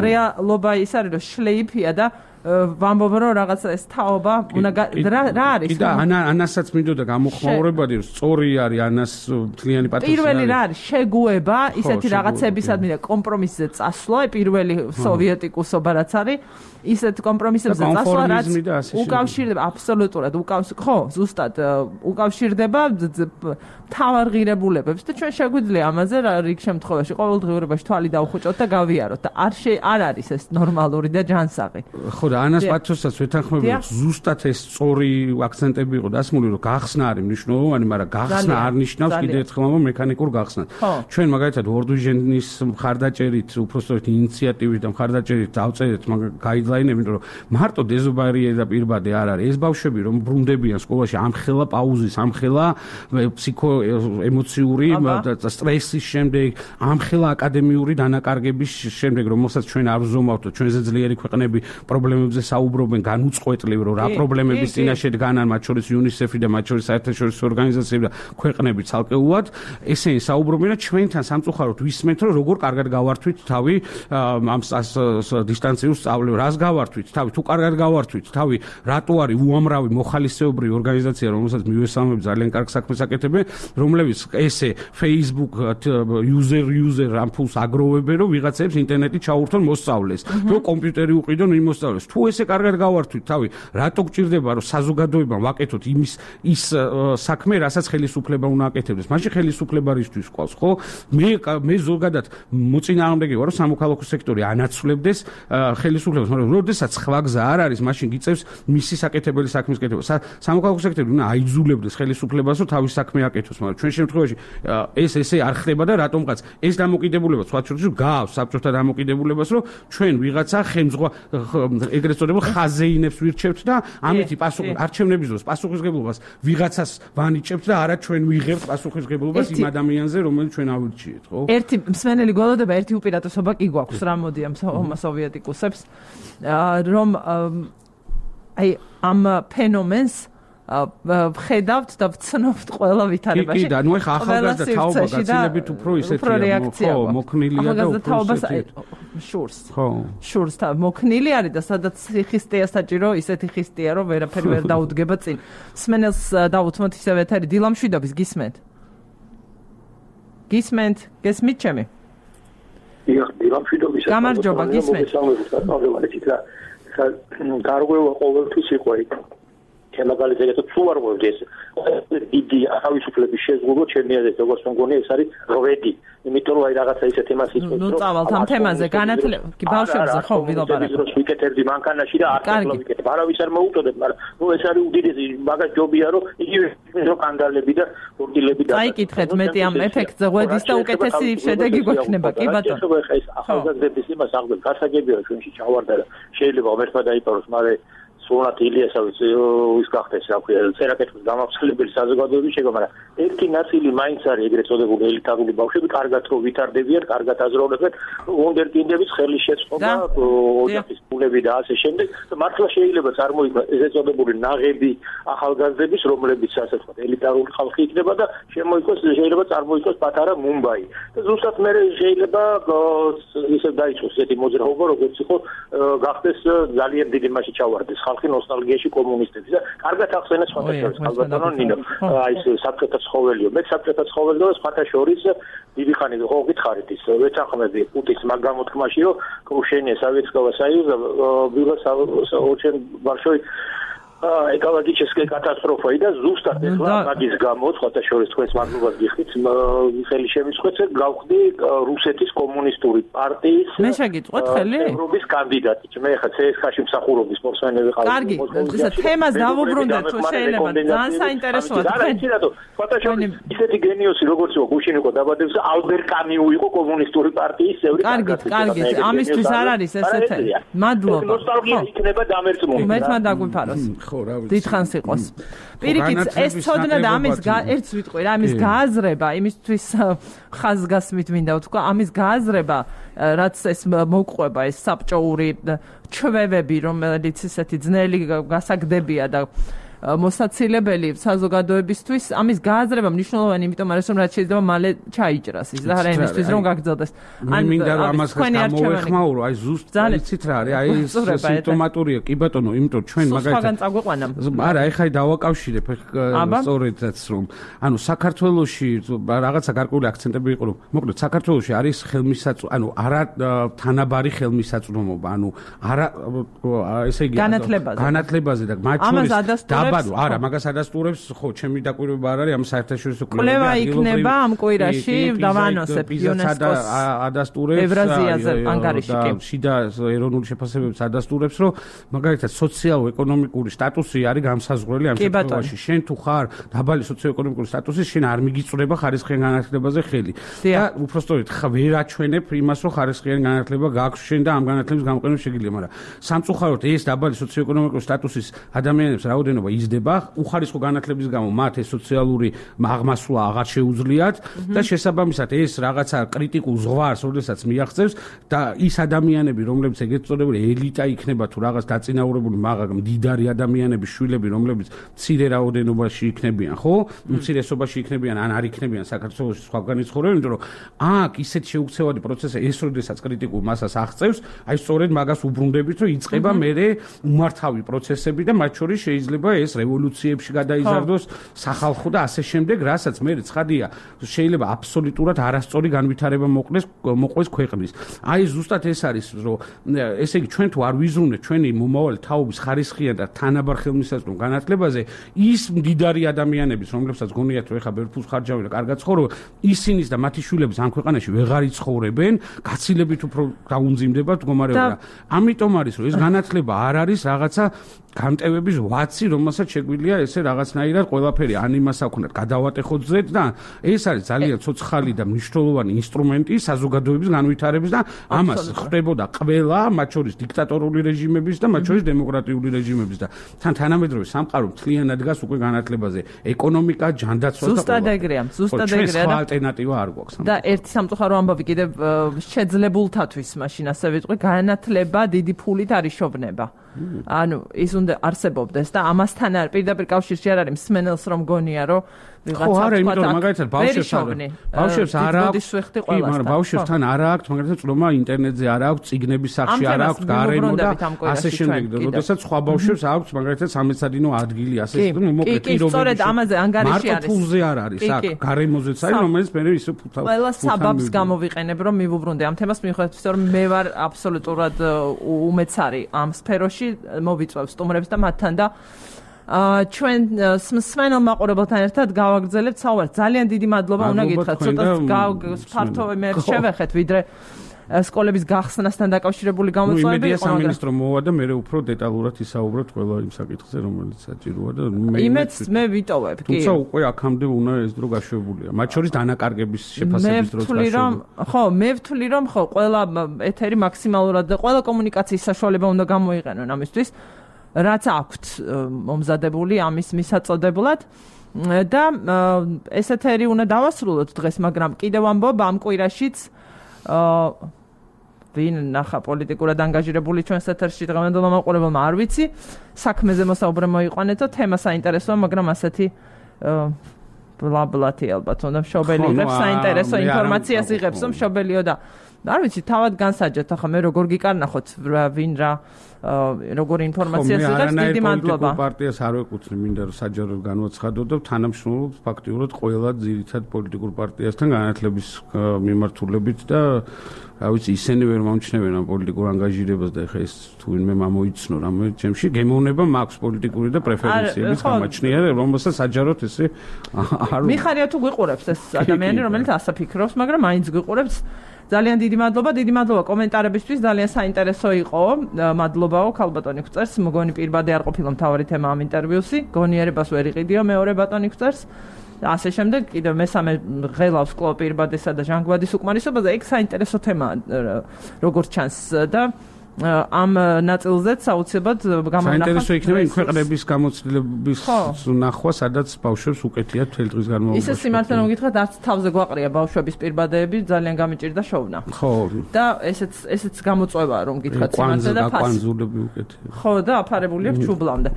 რეალობა ის არის, რომ შლეიფია და ვამბობ რომ რაღაცა ეს თაობა უნდა რა არის? და ანასაც მინდოდა გამოხმაურებადი, რომ სწორი არის ანას მთლიანი პატივი. პირველი რა არის? შეგუება, ისეთი რაღაცებისადმი და კომპრომისზე წასვლა, პირველი სოვიეტიკუსობა რაც არის, ისეთ კომპრომისებზე წასვლა, რაც უკავშირდება აბსოლუტურად უკავშირდება, ხო, ზუსტად უკავშირდება თავარ ღირებულებებს და ჩვენ შეგვიძლია ამაზე რიგ შემთხვევაში ყოველდღიურობაში თვალი დავხუჭოთ და გავიაროთ და არ არ არის ეს ნორმალური და ჯანსაღი. ხო და ანას პათოსსაც ვეთანხმები, რომ ზუსტად ეს სწორი აქცენტები იყო დასმული, რომ გახსნა არის მნიშვნელოვანი, მაგრამ გახსნა არ ნიშნავს კიდევ ერთხელ ამ მექანიკურ გახსნას. ჩვენ მაგალითად ვორდვიჟენის მხარდაჭერით, უпростоრეთ ინიციატივით და მხარდაჭერით დავწერეთ გაიდლაინები, რომ მარტო დეზობარიერი და პირბადე არ არის. ეს ბავშვები რომ ბრუნდებიან სკოლაში ამხელა პაუზის, ამხელა ფსიქო ემოციური სტრესის შემდეგ, ამხელა აკადემიური დანაკარგების შემდეგ, რომელსაც ჩვენ არ ვზომავთ, ჩვენზე ძლიერი ქვეყნები პრობლემები პრობლემებზე საუბრობენ განუწყვეტლივ, რომ რა პრობლემების წინაშე დგანან, მათ შორის UNICEF-ი და მათ შორის საერთაშორისო ორგანიზაციები და ქვეყნები ცალკეულად, ესენი საუბრობენ და ჩვენთან სამწუხაროდ ვისმენთ, რომ როგორ კარგად გავართვით თავი ამ დისტანციურ სწავლებს, რას გავართვით თავი, თუ კარგად გავართვით თავი, რატო არის უამრავი მოხალისეობრივი ორგანიზაცია, რომელსაც მივესალმებ ძალიან კარგ საქმეს აკეთებენ, რომლებიც ესე Facebook user user ამ ფულს აგროვებენ, რომ ვიღაცებს ინტერნეტი ჩაურთონ მოსწავლეს, რომ კომპიუტერი უყიდონ იმ მოსწავლეს. თუ ესე კარგად გავართვით თავი, რატო გჭირდება რომ საზოგადოებამ ვაკეთოთ იმის ის საქმე, რასაც ხელისუფლება უნდა აკეთებდეს. მაშინ ხელისუფლება რისთვის ყავს, ხო? მე მე ზოგადად მოწინააღმდეგე ვარ, რომ სამოქალაქო სექტორი ანაცვლებდეს ხელისუფლებას, მაგრამ როდესაც სხვა გზა არ არის, მაშინ გიწევს მისი საკეთებელი საქმის კეთება. სამოქალაქო სექტორი უნდა აიძულებდეს ხელისუფლებას, რომ თავის საქმე აკეთოს, მაგრამ ჩვენ შემთხვევაში ეს ესე არ ხდება და რატომღაც ეს დამოკიდებულება სხვა შორის გავს საბჭოთა დამოკიდებულებას, რომ ჩვენ ვიღაცა ხელმძღვანელ ეგრეთ წოდებულ ხაზეინებს ვირჩევთ და ამითი პასუხი არჩევნების დროს პასუხისმგებლობას ვიღაცას ვანიჭებთ და არა ჩვენ ვიღებთ პასუხისმგებლობას იმ ადამიანზე, რომელიც ჩვენ ავირჩიეთ, ხო? ერთი მსმენელი გველოდება, ერთი უპირატესობა კი გვაქვს რა მოდი ამ სოვიეტიკუსებს, რომ აი ამ ფენომენს ვხედავთ და ვცნობთ ყველა ვითარებაში. კი, და ნუ ახლა ახალგაზრდა თაობა გაცილებით უფრო ისეთია, ხო, მოქნილია და უფრო ისეთია. შურს. ხო. შურს და მოქნილი არის და სადაც ხისტია საჭირო, ისეთი ხისტია, რომ ვერაფერი ვერ დაუდგება წინ. მსმენელს დავუთმოთ ისევ ეთერი დილამშვიდობის გისმენთ? გისმენთ? გესმით ჩემი? დიახ, დილამშვიდობის. გამარჯობა, გისმენთ. გარღვევა ყოველთვის იყო იქ. მაგალითად თუ არ მოვიდეს დიდი თავისუფლების შეზღუდვა ჩემი აზრით როგორც მგონი ეს არის ღვედი იმიტომ რომ აი რაღაცა ისე თემას ისმის რომ ნუ წავალთ ამ თემაზე განათლება კი ბავშვებზე ხო ვილაპარაკო რომ ვიკეთებდი მანქანაში და არ ვიკეთებ არავის არ მოუწოდებ მაგრამ ნუ ეს არის უდიდესი მაგას ჯობია რომ იგივე რომ კანდალები და ბურგილები და დაიკითხეთ მეტი ამ ეფექტზე ღვედის და უკეთესი შედეგი გვექნება კი ბატონო ხო ეს ახალგაზრდების იმას აღდგენ გასაგებია ჩვენში ჩავარდა და შეიძლება ღმერთმა დაიპაროს მაგრამ სულათ ილიასავიც ის გახდეს რა ქვია წერაკეთის გამავრცელებელი საზოგადოების შეგა მაგრამ ერთი ნაწილი მაინც არის ეგრეთ წოდებული ელიტარული ბავშვები კარგად რო ვითარდებიან კარგად აზროვნებენ უნდერკინდების ხელის შეწყობა ოჯახის ფულები და ასე შემდეგ და მართლა შეიძლება წარმოიქმნას ეგრეთ წოდებული ნაღები ახალგაზრდების რომლებიც ასე ვთქვათ ელიტარული ხალხი იქნება და შემოიქმნას შეიძლება წარმოიქმნას პატარა მუმბაი და ზუსტად მე შეიძლება ისე დაიწყოს ესეთი მოძრაობა როგორც იყო გახდეს ძალიან დიდი მასში ჩავარდეს ხალხი ნოსტალგიაში კომუნისტების და კარგად ახსენეს სხვათა შორის ალბათანო ნინო აი ეს საბჭოთა ცხოველიო მე საბჭოთა ცხოველი და სხვათა შორის დიდი ხანი ხო გითხარით ის ვეცახმები პუტის მაგ გამოთქმაში რომ крушение Советского Союза было очень большой ეკოლოგической катастрофой და ზუსტად ეხლა მაგის გამო სხვათა შორის თქვენს მაგნობას გიხდით ხელი შემიწყეთ გავხდი რუსეთის კომუნისტური პარტიის მე შეგიწყვეთ ხელი ევროპის კანდიდატი მე ხა ცე ეს ხაში მსახურობის პორტფელი ვიყავ კარგი ეს თემას დავუბრუნდეთ თუ შეიძლება ძალიან საინტერესოა თქვენ რატო სხვათა შორის ისეთი გენიოსი როგორც იყო გუშინიკო დაბადებს ალბერ კამიუ იყო კომუნისტური პარტიის წევრი კარგი კარგი ამისთვის არ არის ესეთი მადლობა ნოსტალგია იქნება დამერწმული მეთმა დაგვიფაროს ხო რა ვიცი დიდხანს იყოს პირიქით ეს ცოდნა და ამის ერთს ვიტყვი რა ამის გააზრება იმისთვის ხაზგასმით მინდა ვთქვა ამის გააზრება რაც ეს მოყვება ეს საბჭოური ჩვევები რომელიც ისეთი ძნელი გასაგდებია და მოსაცილებელი საზოგადოებისთვის ამის გააზრება მნიშვნელოვანი იმიტომ არის რომ რაც შეიძლება მალე ჩაიჭრას ის და არა იმისთვის რომ გაგრძელდეს ან მინდა რომ ამას გამოეხმაურო აი ზუსტ იცით რა არის აი სიმპტომატურია კი ბატონო იმიტომ ჩვენ მაგალითად სხვაგან წაგვეყვანა არა ეხლა დავაკავშირებ სწორედაც რომ ანუ საქართველოში რაღაცა გარკვეული აქცენტები იყო რომ მოკლედ საქართველოში არის ხელმისაწვდომობა ანუ არა თანაბარი ხელმისაწვდომობა ანუ არა ესე იგი განათლებაზე და მათ შორის დაბადო არა მაგას ადასტურებს ხო ჩემი დაკვირვება არ არის ამ საერთაშორისო კვლევა იქნება ამ კვირაში დავანოსებ იუნესკოს ადასტურებს ევრაზიაზე ანგარიში კი შიდა ეროვნული შეფასებებს ადასტურებს რომ მაგალითად სოციალურ-ეკონომიკური სტატუსი არის გამსაზღვრელი ამ შემთხვევაში შენ თუ ხარ დაბალი სოციო-ეკონომიკური სტატუსი შენ არ მიგიწვრება ხარისხიან განათლებაზე ხელი და უბრალოდ ვერ აჩვენებ იმას რომ ხარისხიან განათლება გაქვს შენ და ამ განათლების გამოყენება შეგიძლია მაგრამ სამწუხაროდ ეს დაბალი სოციო-ეკონომიკური სტატუსის ადამიანებს რაოდენობა იზრდება, უხარისხო განათლების გამო მათ ეს სოციალური აღმასვლა აღარ შეუძლიათ და შესაბამისად ეს რაღაცა კრიტიკულ ზღვარს, როდესაც მიაღწევს და ის ადამიანები, რომლებიც ეგეთ წოდებული ელიტა იქნება თუ რაღაც დაწინაურებული მაგ მდიდარი ადამიანების შვილები, რომლებიც მცირე რაოდენობაში იქნებიან, ხო? უმცირესობაში იქნებიან ან არ იქნებიან საქართველოს სხვაგან იცხოვრებენ, იმიტომ რომ აქ ისეთ შეუქცევადი პროცესი ეს როდესაც კრიტიკულ მასას აღწევს, აი სწორედ მაგას უბრუნდებით, რომ იწყება მერე უმართავი პროცესები და მათ შორის შეიძლება ეს რევოლუციებში გადაიზარდოს სახალხო და ასე შემდეგ, რასაც მერე ცხადია, შეიძლება აბსოლუტურად არასწორი განვითარება მოყდეს მოყვეს ქვეყნის. აი ზუსტად ეს არის, რომ ესე იგი ჩვენ თუ არ ვიზრუნეთ ჩვენი მომავალი თაობის ხარისხიან და თანაბარ ხელმისაწვდომ განათლებაზე, ის მდიდარი ადამიანების, რომლებსაც გონიათ რომ ეხა ბევრ ფულს ხარჯავენ და კარგად ცხოვრობენ, ისინიც და მათი შვილების ამ ქვეყანაში ვეღარ იცხოვრებენ, გაცილებით უფრო დაუნძიმდება მდგომარეობა. ამიტომ არის რომ ეს განათლება არ არის რაღაცა გამტევების ვაცი, რომელსაც შეგვიძლია ესე რაღაცნაირად ყველაფერი ან იმას აქვს გადავატეხოთ ზედ და ეს არის ძალიან ცოცხალი და მნიშვნელოვანი ინსტრუმენტი საზოგადოების განვითარების და ამას ხდებოდა ყველა, მათ შორის დიქტატორული რეჟიმების და მათ შორის დემოკრატიული რეჟიმების და თან თანამედროვე სამყარო მთლიანად დგას უკვე განათლებაზე, ეკონომიკა, ჯანდაცვა და ზუსტად ეგრეა, ზუსტად ეგრეა და ალტერნატივა არ გვაქვს. და ერთი სამწუხარო ამბავი კიდევ შეძლებულთათვის მაშინ ასე ვიტყვი, განათლება დიდი ფულით არის შოვნება. ანუ ის უნდა არსებობდეს და ამასთან არ პირდაპირ კავშირში არ არის მსმენელს რომ გონია რომ ვიღაცა არა, იმიტომ რომ მაგალითად ბავშვებს ბავშვებს არ აქვს, კი, მაგრამ ბავშვებთან არ აქვს, მაგალითად წვდომა ინტერნეტზე არ აქვს, წიგნების სახში არ აქვს, გარემო და ასე შემდეგ. როდესაც სხვა ბავშვებს აქვს მაგალითად სამეცადინო ადგილი, ასე რომ მოკლედ პირობები. სწორედ ამაზე ანგარიში არის. მარტო ფულზე არ არის, აქ გარემოზეც არის, რომელიც მე ისე ფუთავ. ყველა საბაბს გამოვიყენებ რომ მივუბრუნდე ამ თემას, მიუხედავად იმისა რომ მე ვარ აბსოლუტურად უმეცარი ამ სფეროში, მოვიწვევ სტუმრებს და მათთან და აა ჩვენ მსმენელ მაყურებელთან ერთად გავაგრძელებთ საუბარს. ძალიან დიდი მადლობა უნდა გითხრათ. ცოტა ფართოვი მე შევეხეთ, ვიდრე სკოლების გახსნასთან დაკავშირებული გამოწვევები იყო. სამინისტრო მოვა და მე უფრო დეტალურად ისაუბროთ ყველა იმ საკითხზე, რომელიც საჭიროა და მე იმეც მე ვიტოვებ, კი. თუმცა უკვე აქამდე უნდა ეს დრო გაშვებულია. მათ შორის დანაკარგების შეფასების დროს გაშვებული. ხო, მე ვთვლი რომ ხო, ყველა ეთერი მაქსიმალურად და ყველა კომუნიკაციის საშუალება უნდა გამოიყენონ ამისთვის. რაც აქვთ მომზადებული ამის მისაწოდებლად და ეს ეთერი უნდა დავასრულოთ დღეს, მაგრამ კიდევ ამბობ ამ კვირაშიც ვინ ნახა პოლიტიკურად ანგაჟირებული ჩვენს ეთერში დღევანდელმა მაყურებელმა არ ვიცი, საქმეზე მოსაუბრე მოიყვანეთო, თემა საინტერესოა, მაგრამ ასეთი ბლაბლათი ალბათ უნდა მშობელი იღებს საინტერესო ინფორმაციას იღებს მშობელიო და არ ვიცი, თავად განსაჯეთ, ახლა მე როგორ გიკარნახოთ ვინ რა როგორ ინფორმაციას იღებს, დიდი მადლობა. პოლიტიკურ პარტიას არ ვეკუთვნი, მინდა რომ საჯაროდ განვაცხადო და თანამშრომლობ ფაქტიურად ყველა ძირითად პოლიტიკურ პარტიასთან განათლების მიმართულებით და რა ვიცი, ისინი ვერ მომჩნევენ ამ პოლიტიკურ ანგაჟირებას და ეხა ეს თუ ვინმე მომოიცნო რამე ჩემში გემოვნება მაქვს პოლიტიკური და პრეფერენციების გამაჩნია, რომელსაც საჯაროდ ესე არ მიხარია თუ გვიყურებს ეს ადამიანი, რომელიც ასე ფიქრობს, მაგრამ მაინც გვიყურებს. ძალიან დიდი მადლობა, დიდი მადლობა კომენტარებისთვის, ძალიან საინტერესო იყო. მადლობაო, ქალბატონი გვწერს, მგონი პირბადე არ ყოფილა მთავარი თემა ამ ინტერვიუსი, გონიერებას ვერ იყიდიო, მეორე ბატონი გვწერს. ასე შემდეგ, კიდევ მესამე ღელავს კლო პირბადესა და ჟანგბადის უკმარისობაზე, ეგ საინტერესო თემაა, როგორც ჩანს და ამ ნაწილზეც საუცილებლად გამონახავთ. საინტერესო იქნება იმ ქვეყნების გამოცდილების ნახვა, სადაც ბავშვებს უკეთიათ მთელი დღის განმავლობაში. ისე სიმართლე რომ გითხრათ, არც თავზე გვაყრია ბავშვების პირბადეები, ძალიან გამიჭირდა შოვნა. ხო. და ესეც ესეც გამოწვევაა რომ გითხრათ სიმართლე და ფასი. კვანძულები უკეთია. ხო, და აფარებული აქვს ჩუბლამდე.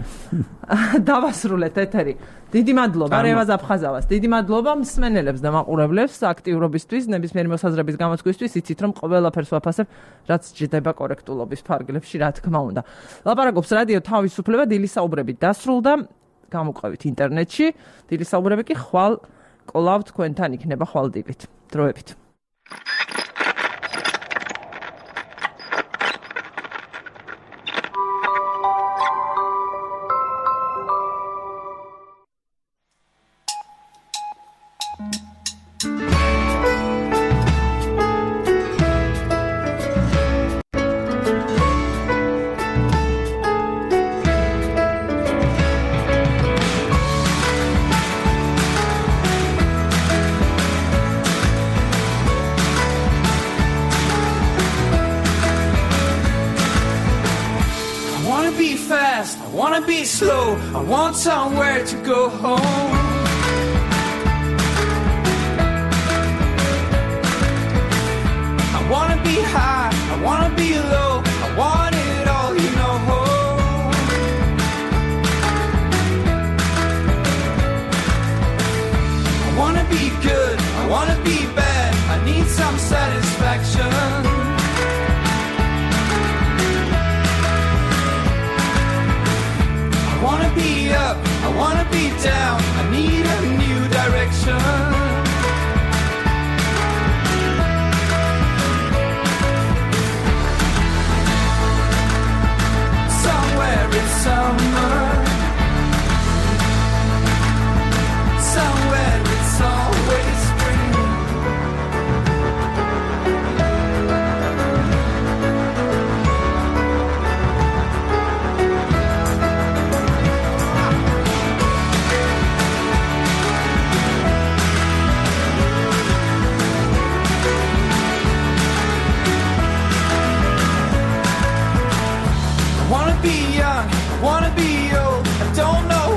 დავასრულეთ ეთერი. დიდი მადლობა რევაზ აფხაზავას. დიდი მადლობა მსმენელებს და მაყურებლებს აქტიურობისთვის, ნებისმიერი მოსაზრების გამოცდისთვის. იცით რომ ყველაფერს ვაფასებ, რაც ჯდება კორექტულობის ფარგლებში, რა თქმა უნდა. ლაპარაკობს რადიო თავისუფლება, დილის საუბრები დასრულდა, გამოყვებით ინტერნეტში. დილის საუბრები კი ხვალ კვლავ თქვენთან იქნება ხვალ დილით. დროებით. fast, I wanna be slow, I want somewhere to go home. I wanna be high, I wanna be low, I want it all, you know. I wanna be good, I wanna be bad, I need some satisfaction. I wanna be up, I wanna be down, I need a new direction. Somewhere it's summer, somewhere it's always spring. I wanna be young, I wanna be old, I don't know